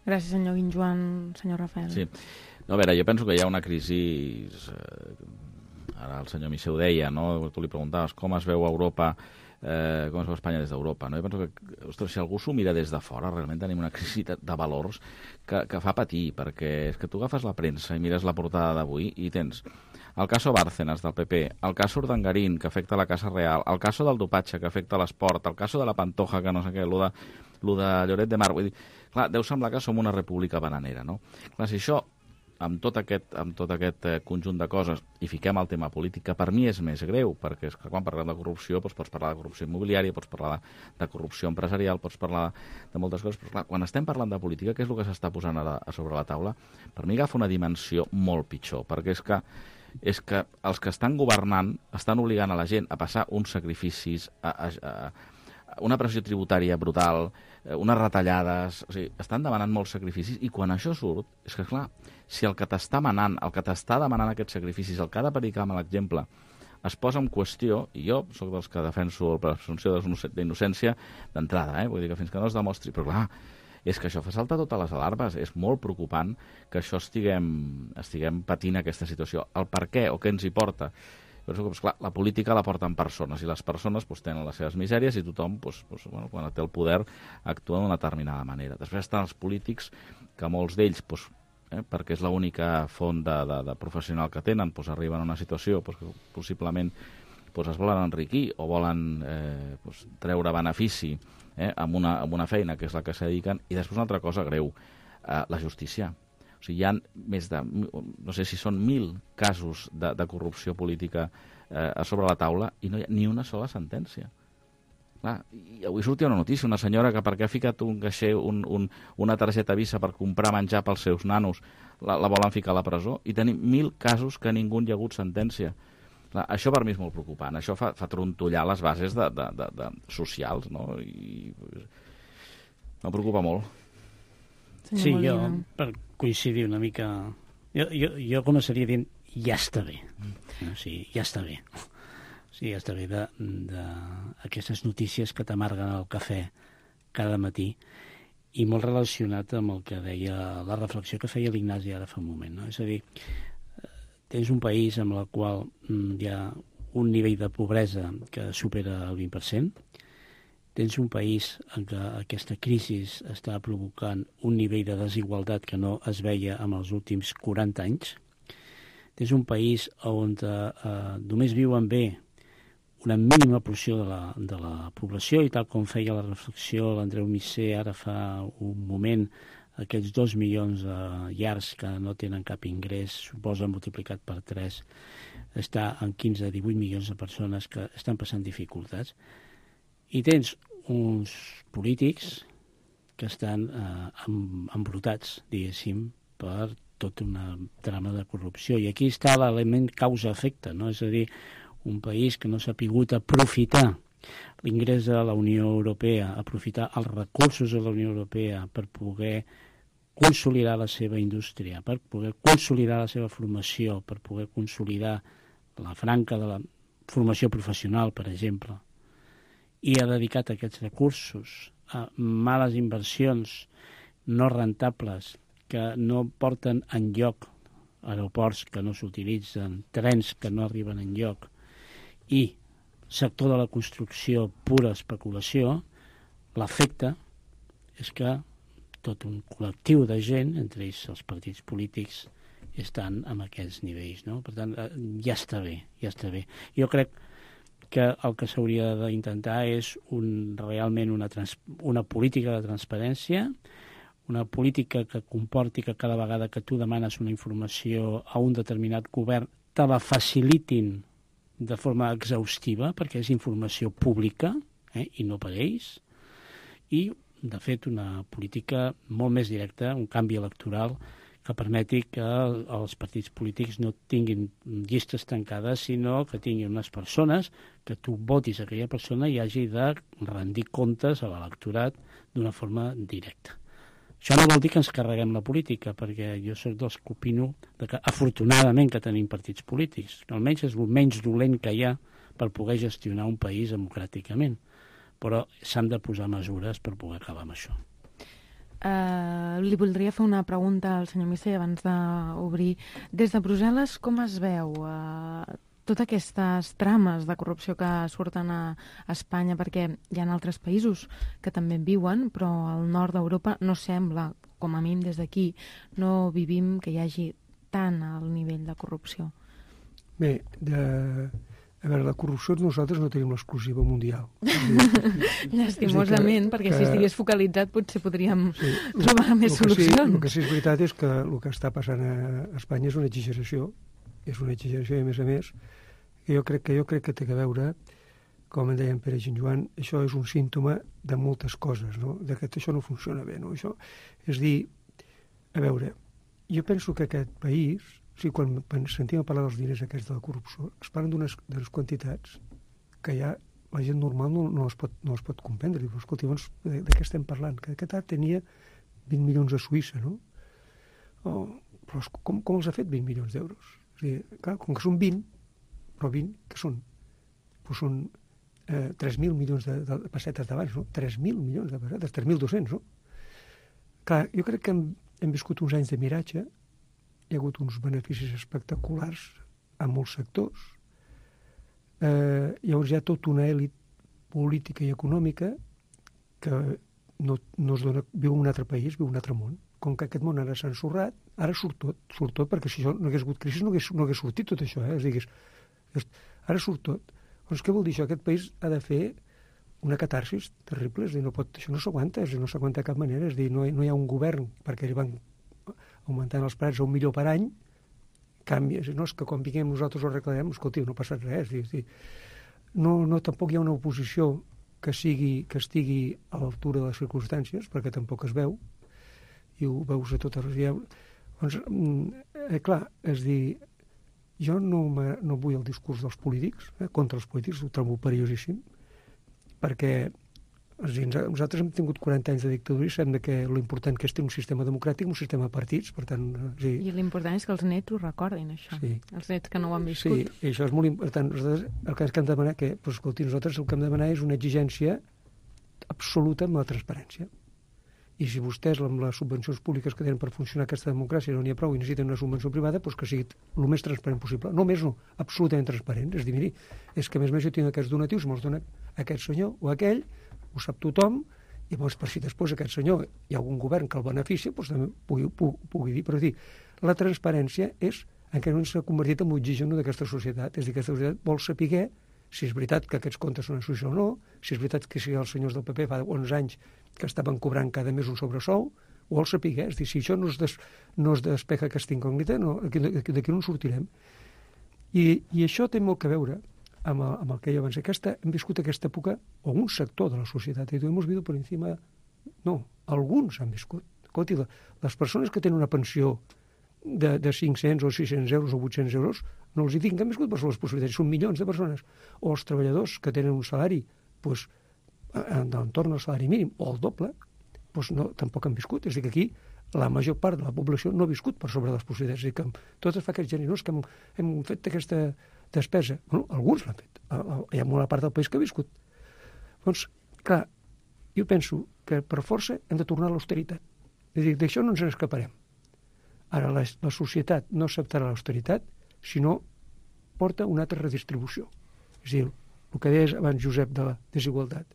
Gràcies, senyor Guinjoan. Senyor Rafael. Sí. No, a veure, jo penso que hi ha una crisi... Eh, ara el senyor Misser ho deia, no? Tu li preguntaves com es veu Europa, eh, com es veu Espanya des d'Europa, no? Jo penso que, ostres, si algú s'ho mira des de fora, realment tenim una crisi de, de valors que, que fa patir, perquè és que tu agafes la premsa i mires la portada d'avui i tens el caso Bárcenas del P P, el caso Urdangarín, que afecta la Casa Real, el caso del dopatge, que afecta l'esport, el caso de la Pantoja, que no sé què, el de, lo de Lloret de Mar. Vull dir, clar, deu semblar que som una república bananera, no? Clar, si això, amb tot aquest, amb tot aquest eh, conjunt de coses, i fiquem el tema polític, que per mi és més greu, perquè és que quan parlem de corrupció doncs pots parlar de corrupció immobiliària, pots parlar de, de corrupció empresarial, pots parlar de moltes coses, però clar, quan estem parlant de política, què és el que s'està posant ara a sobre la taula? Per mi agafa una dimensió molt pitjor, perquè és que és que els que estan governant estan obligant a la gent a passar uns sacrificis, a, a, a una pressió tributària brutal, unes retallades, o sigui, estan demanant molts sacrificis, i quan això surt, és que, clar, si el que t'està manant, el que t'està demanant aquests sacrificis, el que ha de predicar amb l'exemple, es posa en qüestió, i jo sóc dels que defenso la presumpció d'innocència d'entrada, eh? Vull dir que fins que no es demostri, però clar, és que això fa saltar totes les alarmes. És molt preocupant que això estiguem, estiguem patint aquesta situació. El per què o què ens hi porta? Però, esclar, la política la porten persones, i les persones doncs, tenen les seves misèries, i tothom, doncs, doncs, bueno, quan té el poder, actua d'una determinada manera. Després estan els polítics, que molts d'ells, doncs, eh, perquè és l'única font de, de, de professional que tenen, doncs, arriben a una situació doncs, que possiblement doncs, es volen enriquir o volen eh, doncs, treure benefici eh, amb, una, amb una feina que és la que s'hi dediquen. I després una altra cosa greu, eh, la justícia. O sigui, hi ha més de, no sé si són mil casos de, de corrupció política eh, a sobre la taula i no hi ha ni una sola sentència. Clar, i avui sortia una notícia, una senyora que perquè ha ficat un caixer, un, un, una targeta Visa per comprar menjar pels seus nanos, la, la volen ficar a la presó, i tenim mil casos que ningú hi ha hagut sentència. Clar, això per mi és molt preocupant, això fa, fa trontollar les bases de, de, de, de socials, no? I em preocupa molt. Sí, jo, per coincidir una mica, jo, jo, jo començaria dient ja està bé, o sigui, ja està bé. Sí, ja està bé d'aquestes notícies que t'amarguen el cafè cada matí i molt relacionat amb el que deia la reflexió que feia l'Ignasi ara fa un moment, no? És a dir, tens un país amb el qual hi ha un nivell de pobresa que supera el vint per cent, tens un país en què aquesta crisi està provocant un nivell de desigualtat que no es veia en els últims quaranta anys, tens un país on eh, només viuen bé una mínima porció de la, de la població i tal com feia la reflexió l'Andreu Misser ara fa un moment, aquests dos milions de llars que no tenen cap ingrés, suposa multiplicat per tres, està en quinze a divuit milions de persones que estan passant dificultats. I tens uns polítics que estan eh, embrutats, diguéssim, per tota una trama de corrupció. I aquí està l'element causa-efecte, no? És a dir, un país que no s'ha pogut aprofitar l'ingrés de la Unió Europea, aprofitar els recursos de la Unió Europea per poder consolidar la seva indústria, per poder consolidar la seva formació, per poder consolidar la franca de la formació professional, per exemple, i ha dedicat aquests recursos a males inversions no rentables que no porten enlloc, aeroports que no s'utilitzen, trens que no arriben enlloc, i sector de la construcció pura especulació, l'efecte és que tot un col·lectiu de gent, entre ells els partits polítics, estan en aquests nivells, no? Per tant, ja està bé, ja està bé. Jo crec que el que s'hauria d'intentar és un, realment una, trans, una política de transparència, una política que comporti que cada vegada que tu demanes una informació a un determinat govern te la facilitin de forma exhaustiva, perquè és informació pública, eh, i no per ells, i, de fet, una política molt més directa, un canvi electoral que permeti que els partits polítics no tinguin llistes tancades, sinó que tinguin unes persones que tu votis a aquella persona i hagi de rendir comptes a l'electorat d'una forma directa. Això no vol dir que ens carreguem la política, perquè jo soc dels que opino que, afortunadament, que tenim partits polítics, que almenys és el menys dolent que hi ha per poder gestionar un país democràticament, però s'han de posar mesures per poder acabar amb això. Uh, li voldria fer una pregunta al senyor Misser abans d'obrir. Des de Brussel·les, com es veu uh, totes aquestes trames de corrupció que surten a Espanya? Perquè hi ha altres països que també en viuen, però al nord d'Europa no sembla, com a mínim des d'aquí, no vivim que hi hagi tant al nivell de corrupció. Bé, de... a veure, la corrupció nosaltres no tenim l'exclusiva mundial. Llastimosament, perquè que, si estigués focalitzat potser podríem sí, trobar el, més el solucions. Sí, el que sí és veritat és que el que està passant a Espanya és una exageració, és una exageració, i a més a més, que jo crec que, jo crec que té a veure, com en deia en Pere i en Joan, això és un símptoma de moltes coses, no? De que això no funciona bé, no? Això, és dir, a veure, jo penso que aquest país, sí, quan sentim a parlar dels diners aquests de la corrupció, es parlen d'unes quantitats que ja la gent normal no, no, les, pot, no les pot comprendre. Diu, escolti, doncs, de, de què estem parlant? Que aquest art tenia vint milions a Suïssa, no? O, però com, com els ha fet vint milions d'euros? És dir, clar, com que són vint, però vint, què són? Pues són eh, tres mil milions de, de pessetes d'abans, no? tres mil milions de pessetes, tres mil dos-cents, no? Clar, jo crec que hem, hem viscut uns anys de miratge. Hi ha hagut uns beneficis espectaculars a molts sectors. Eh, llavors hi ha tota una èlit política i econòmica que no, no es dona, viu en un altre país, viu en un altre món. Com que aquest món ara s'ha ensorrat, ara surt tot, surt tot, perquè si això no hagués hagut crisi no hagués, no hagués sortit tot això, eh? Diguis, ara surt tot. Doncs què vol dir això? Aquest país ha de fer una catarsis terrible, és dir, no pot, això no s'aguanta, no s'aguanta de cap manera, és dir, no hi, no hi ha un govern, perquè van augmentant els preus a un milió per any, canvia. No és que quan vinguem nosaltres ho arreglarem, escolti, no ha passat res. És dir, no, no, tampoc hi ha una oposició que, sigui, que estigui a l'altura de les circumstàncies, perquè tampoc es veu, i ho veus a totes les... Doncs, eh, clar, és dir, jo no, no vull el discurs dels polítics, eh, contra els polítics, ho trobo perillosíssim, perquè és dir, nosaltres hem tingut quaranta anys de dictadura i sabem que l'important que és tenir un sistema democràtic, un sistema de partits, per tant... És dir, I l'important és que els nets ho recordin, això. Sí. Els nets que no ho han viscut. Sí, i això és molt important. Nosaltres, el que hem de demanar, que, pues, escolti, nosaltres el que hem de demanar és una exigència absoluta amb la transparència. I si vostès, amb les subvencions públiques que tenen per funcionar aquesta democràcia, no n'hi ha prou i necessiten una subvenció privada, doncs que sigui el més transparent possible. No més, no, absolutament transparent. És dir, miri, és que a més a més jo tinc aquests donatius, me'ls dona aquest senyor o aquell, ho sap tothom, i llavors per si després aquest senyor hi ha algun govern que el beneficia, doncs també pugui, pugui, pugui dir. Però dir, la transparència és en què no s'ha convertit en l'oxigen d'aquesta societat. És a dir, aquesta societat vol saber si és veritat que aquests comptes són en suïssa o no, si és veritat que si els senyors del P P fa onze anys que estaven cobrant cada mes un sobresou, ho vol saber. És dir, si això no es, des, no es despeja aquesta incògnita, no, d'aquí no en sortirem. I, I això té molt que veure amb el, amb el que jo abans. Aquesta, hem viscut aquesta època, o un sector de la societat, i hemos visto por encima... No, alguns han viscut. Escolti, les persones que tenen una pensió de, de cinc-cents o sis-cents euros o vuit-cents euros, no els hi dic que han viscut per les possibilitats, són milions de persones. O els treballadors que tenen un salari doncs, entorn al salari mínim o el doble, doncs no, tampoc han viscut. És a dir, que aquí la major part de la població no ha viscut per sobre de les possibilitats. És a dir, que tot es fa aquests generós que hem, hem fet aquesta despesa. Bueno, alguns l'han fet. Hi ha molta part del país que ha viscut. Doncs, clar, jo penso que per força hem de tornar a l'austeritat. És a dir, d'això no ens n'escaparem. Ara, la, la societat no acceptarà l'austeritat si no porta una altra redistribució. És a dir, el que deies abans, Josep, de la desigualtat.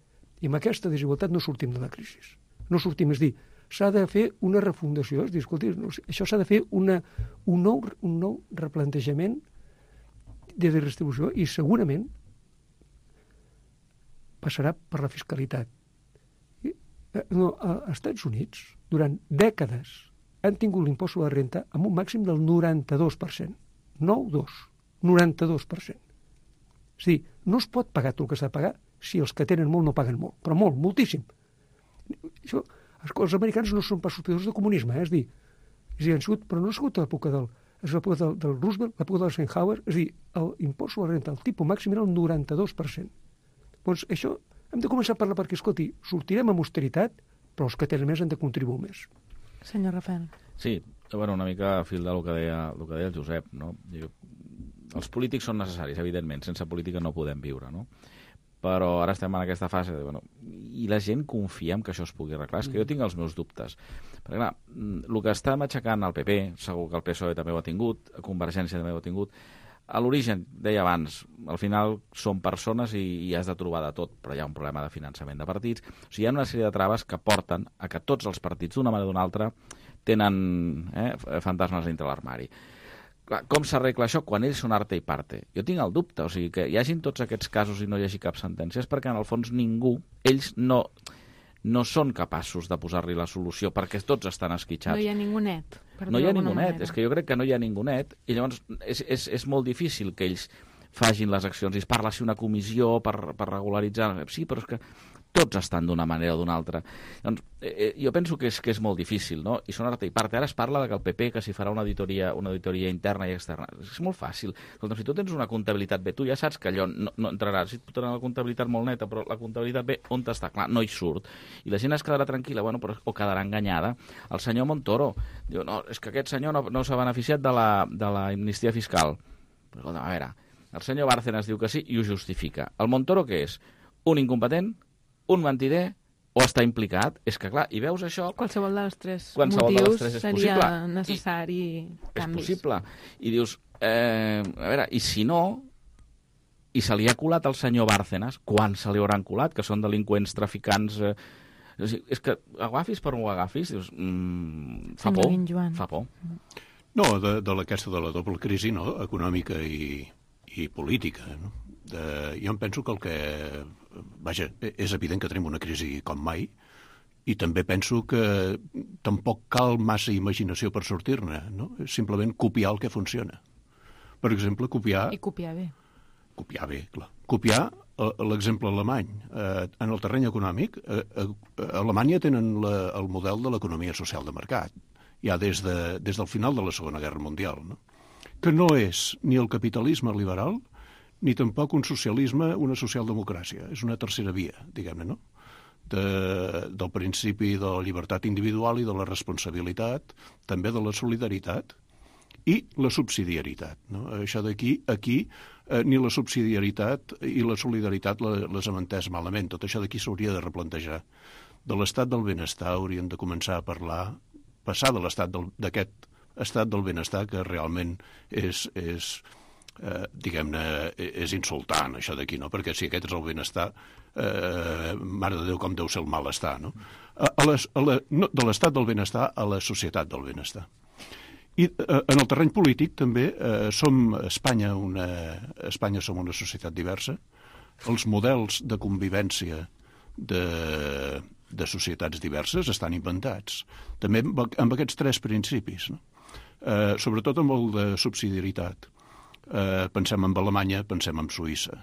I amb aquesta desigualtat no sortim de la crisi. No sortim, és dir, s'ha de fer una refundació. És dir, escolti, això s'ha de fer una, un, nou, un nou replantejament de redistribució i segurament passarà per la fiscalitat. I, no, als Estats Units, durant dècades, han tingut l'impost sobre la renta amb un màxim del noranta-dos per cent. nou dos, noranta-dos per cent. És a dir, no es pot pagar tot el que s'ha de pagar si els que tenen molt no paguen molt, però molt, moltíssim. Això, els americans no són pas sospitosos de comunisme, eh? és dir, és dir, han sigut, però no ha sigut l'època del, és l'època del, del Roosevelt, l'època del Eisenhower, és dir, l'impost sobre la renta, el tipus màxim era el noranta-dos per cent. Doncs això, hem de començar a parlar perquè, escolti, sortirem amb austeritat, però els que tenen més han de contribuir més. Senyor Rafael. Sí, bueno, una mica a fil del que deia, el que deia el Josep, no? Diu, els polítics són necessaris, evidentment, sense política no podem viure, no? Però ara estem en aquesta fase de, bueno, i la gent confia en que això es pugui arreglar. És que jo tinc els meus dubtes. Perquè, clar, el que està matxacant el P P, segur que el P S O E també ho ha tingut, Convergència també ho ha tingut, a l'origen, deia abans, al final són persones i, i has de trobar de tot, però hi ha un problema de finançament de partits. O sigui, hi ha una sèrie de traves que porten a que tots els partits, d'una manera o d'una altra, tenen eh, fantasmes dintre l'armari. Com s'arregla això quan ells són arte i parte? Jo tinc el dubte, o sigui, que hi hagin tots aquests casos i no hi hagi cap sentència, és perquè en el fons ningú, ells no, no són capaços de posar-li la solució, perquè tots estan esquitxats. No hi ha ningú net. No hi ha ningú net, és que jo crec que no hi ha ningú net, i llavors és, és, és molt difícil que ells facin les accions, i es parla si una comissió per, per regularitzar, sí, però és que tots estan d'una manera o d'una altra. Doncs, eh, jo penso que és, que és molt difícil, no? I són arte i part. Ara es parla de que el P P que s'hi farà una auditoria, una auditoria interna i externa. És molt fàcil. Escolta, si tu tens una comptabilitat bé, tu ja saps que allò no, no entrarà. Si tu tens una comptabilitat molt neta, però la comptabilitat bé, on està? Clar, no hi surt. I la gent es quedarà tranquil·la, bueno, però, o quedarà enganyada. El senyor Montoro diu, no, és que aquest senyor no, no s'ha beneficiat de la, de la amnistia fiscal. Però, escolta, a veure, el senyor Bárcenas diu que sí i ho justifica. El Montoro què és? Un incompetent? Un mentider o està implicat? És que, clar, i veus això... Qualsevol dels tres qualsevol motius de les tres és seria possible. necessari I, canvis. És possible. I dius, eh, a veure, i si no, i se li ha colat al senyor Bárcenas, quan se li hauran colat, que són delinqüents, traficants... Eh, és, és que agafis per on ho agafis, dius, mm, fa por, fa por. No, de, de aquesta de la doble crisi, no?, econòmica i, i política, no? De, jo em penso que el que... Vaja, és evident que tenim una crisi com mai I també penso que tampoc cal massa imaginació per sortir-ne, no? És simplement copiar el que funciona. Per exemple, copiar... I copiar bé. Copiar bé, clar. Copiar l'exemple alemany. Eh, en el terreny econòmic, eh, a Alemanya tenen la, el model de l'economia social de mercat, ja des, de, des del final de la Segona Guerra Mundial, no? Que no és ni el capitalisme liberal ni tampoc un socialisme, una socialdemocràcia. És una tercera via, diguem-ne, no? De, del principi de la llibertat individual i de la responsabilitat, també de la solidaritat i la subsidiarietat, no? Això d'aquí, aquí, eh, ni la subsidiarietat i la solidaritat les hem entès malament. Tot això d'aquí s'hauria de replantejar. De l'estat del benestar hauríem de començar a parlar, passar de l'estat d'aquest estat del benestar que realment és, és eh, diguem-ne, és insultant, això d'aquí, no? Perquè si aquest és el benestar, eh, mare de Déu, com deu ser el malestar, no? A, a les, a la, no de l'estat del benestar a la societat del benestar. I eh, en el terreny polític també eh, som Espanya, una, Espanya som una societat diversa. Els models de convivència de, de societats diverses estan inventats. També amb, amb aquests tres principis, no? Eh, sobretot amb el de subsidiarietat. Eh, pensem en Alemanya, pensem en Suïssa.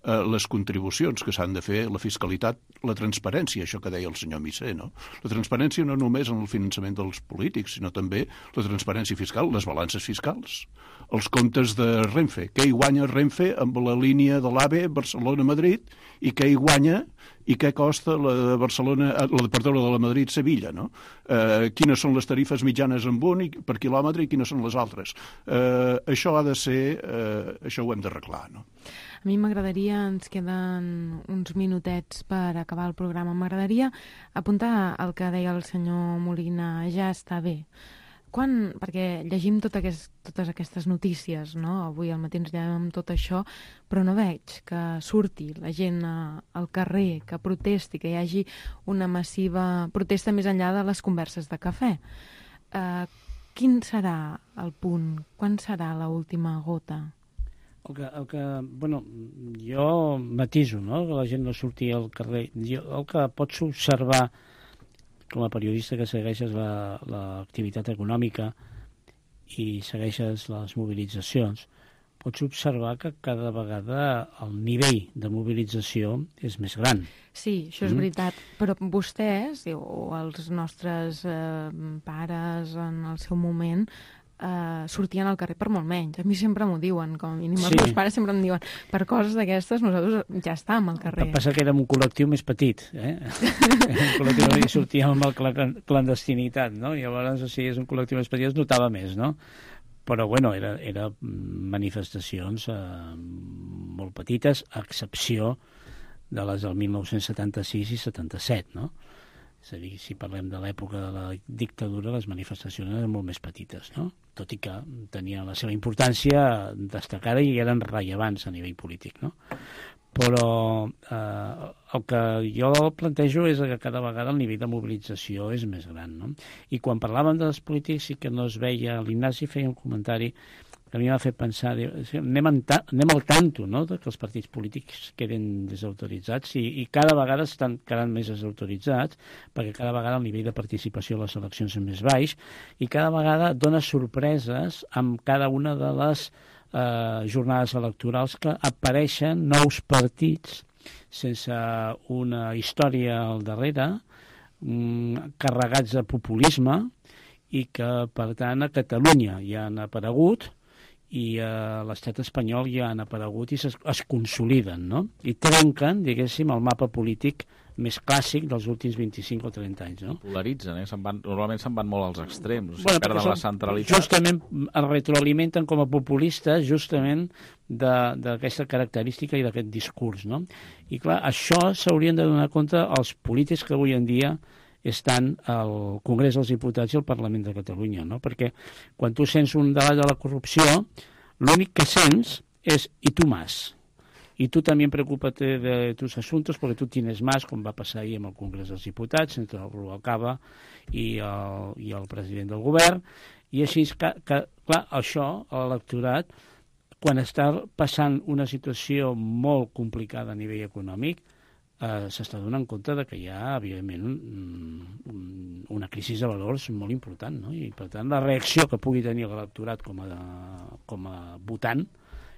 Eh, les contribucions que s'han de fer, la fiscalitat, la transparència, això que deia el senyor Missé, no? La transparència no només en el finançament dels polítics, sinó també la transparència fiscal, les balances fiscals, els comptes de Renfe. Què hi guanya Renfe amb la línia de l'AVE Barcelona-Madrid i què hi guanya i què costa la de Barcelona, la, perdó, la de la Madrid-Sevilla, no? Eh, quines són les tarifes mitjanes en un i per quilòmetre i quines són les altres. Eh, això ha de ser, eh, això ho hem d'arreglar, no? A mi m'agradaria, ens queden uns minutets per acabar el programa, m'agradaria apuntar el que deia el senyor Molina, ja està bé. Quan, perquè llegim tot aquest, totes aquestes notícies, no? Avui al matí ens llevem tot això, però no veig que surti la gent al carrer, que protesti, que hi hagi una massiva protesta més enllà de les converses de cafè. Uh, quin serà el punt? Quan serà l'última gota? El que, el que, bueno, jo matiso, no?, que la gent no surti al carrer. Jo, el que pots observar com a periodista que segueixes l'activitat la, econòmica i segueixes les mobilitzacions, pots observar que cada vegada el nivell de mobilització és més gran. Sí, això és mm. veritat, però vostès, o els nostres eh, pares en el seu moment, Uh, sortien al carrer per molt menys. A mi sempre m'ho diuen, com a mínim. Sí. Els meus pares sempre em diuen, per coses d'aquestes nosaltres ja estàvem al carrer. El que passa que érem un col·lectiu més petit, eh? un col·lectiu que sortíem amb la clandestinitat, no? I llavors, si és un col·lectiu més petit, es notava més, no? Però, bueno, era, era manifestacions eh, molt petites, a excepció de les del mil nou-cents setanta-sis i setanta-set, no? És a dir, si parlem de l'època de la dictadura, les manifestacions eren molt més petites, no? Tot i que tenien la seva importància destacada i eren rellevants a nivell polític, no? Però eh, el que jo plantejo és que cada vegada el nivell de mobilització és més gran, no? I quan parlàvem dels polítics sí que no es veia, l'Ignasi feia un comentari que a mi m'ha fet pensar, anem, ta, anem al tanto, no?, que els partits polítics queden desautoritzats i, i cada vegada estan quedant més desautoritzats perquè cada vegada el nivell de participació a les eleccions és més baix i cada vegada dona sorpreses amb cada una de les eh, jornades electorals que apareixen nous partits sense una història al darrere, mm, carregats de populisme i que, per tant, a Catalunya ja han aparegut i a l'estat espanyol ja han aparegut i es, es consoliden, no? I trenquen, diguéssim, el mapa polític més clàssic dels últims vint-i-cinc o trenta anys, no? Polaritzen, eh? Se'n van, normalment se'n van molt als extrems, o sigui, bueno, perden la centralitat. Justament es retroalimenten com a populistes justament d'aquesta característica i d'aquest discurs, no? I clar, això s'haurien de donar compte els polítics que avui en dia estan al Congrés dels Diputats i al Parlament de Catalunya, no? Perquè quan tu sents un debat de la corrupció, l'únic que sents és «y tú más». Y tú también preocúpate de tus asuntos porque tú tienes más, com va passar ahir amb el Congrés dels Diputats, entre el Rubalcaba i el, i el president del govern, i així, que, que, clar, això, l'electorat, quan està passant una situació molt complicada a nivell econòmic, eh, s'està donant compte de que hi ha, evidentment, un, un, una crisi de valors molt important, no? I, per tant, la reacció que pugui tenir l'electorat com a, com a votant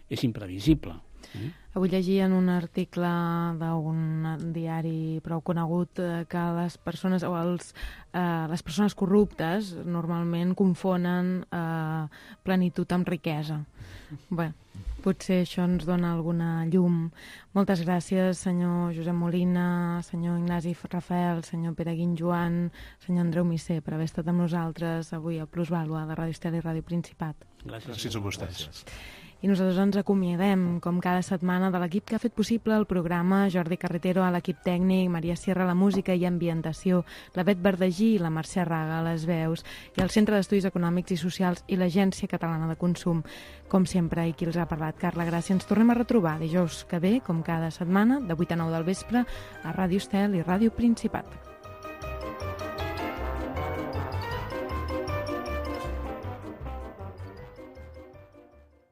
és imprevisible. Mm? Avui llegia en un article d'un diari prou conegut que les persones o els, eh, les persones corruptes normalment confonen eh, plenitud amb riquesa. Bé, potser això ens dona alguna llum. Moltes gràcies, senyor Josep Molina, senyor Ignasi Rafael, senyor Pere Guinjoan, senyor Andreu Misser, per haver estat amb nosaltres avui a Plusvàlua de Ràdio Estel i Ràdio Principat. Gràcies, gràcies a vostès. Gràcies. I nosaltres ens acomiadem, com cada setmana, de l'equip que ha fet possible el programa, Jordi Carretero a l'equip tècnic, Maria Sierra a la música i ambientació, la Bet Verdagí i la Mercè Raga a les veus, i el Centre d'Estudis Econòmics i Socials i l'Agència Catalana de Consum. Com sempre, i qui els ha parlat, Carla Gràcia. Ens tornem a retrobar dijous que ve, com cada setmana, de vuit a nou del vespre, a Ràdio Estel i Ràdio Principat.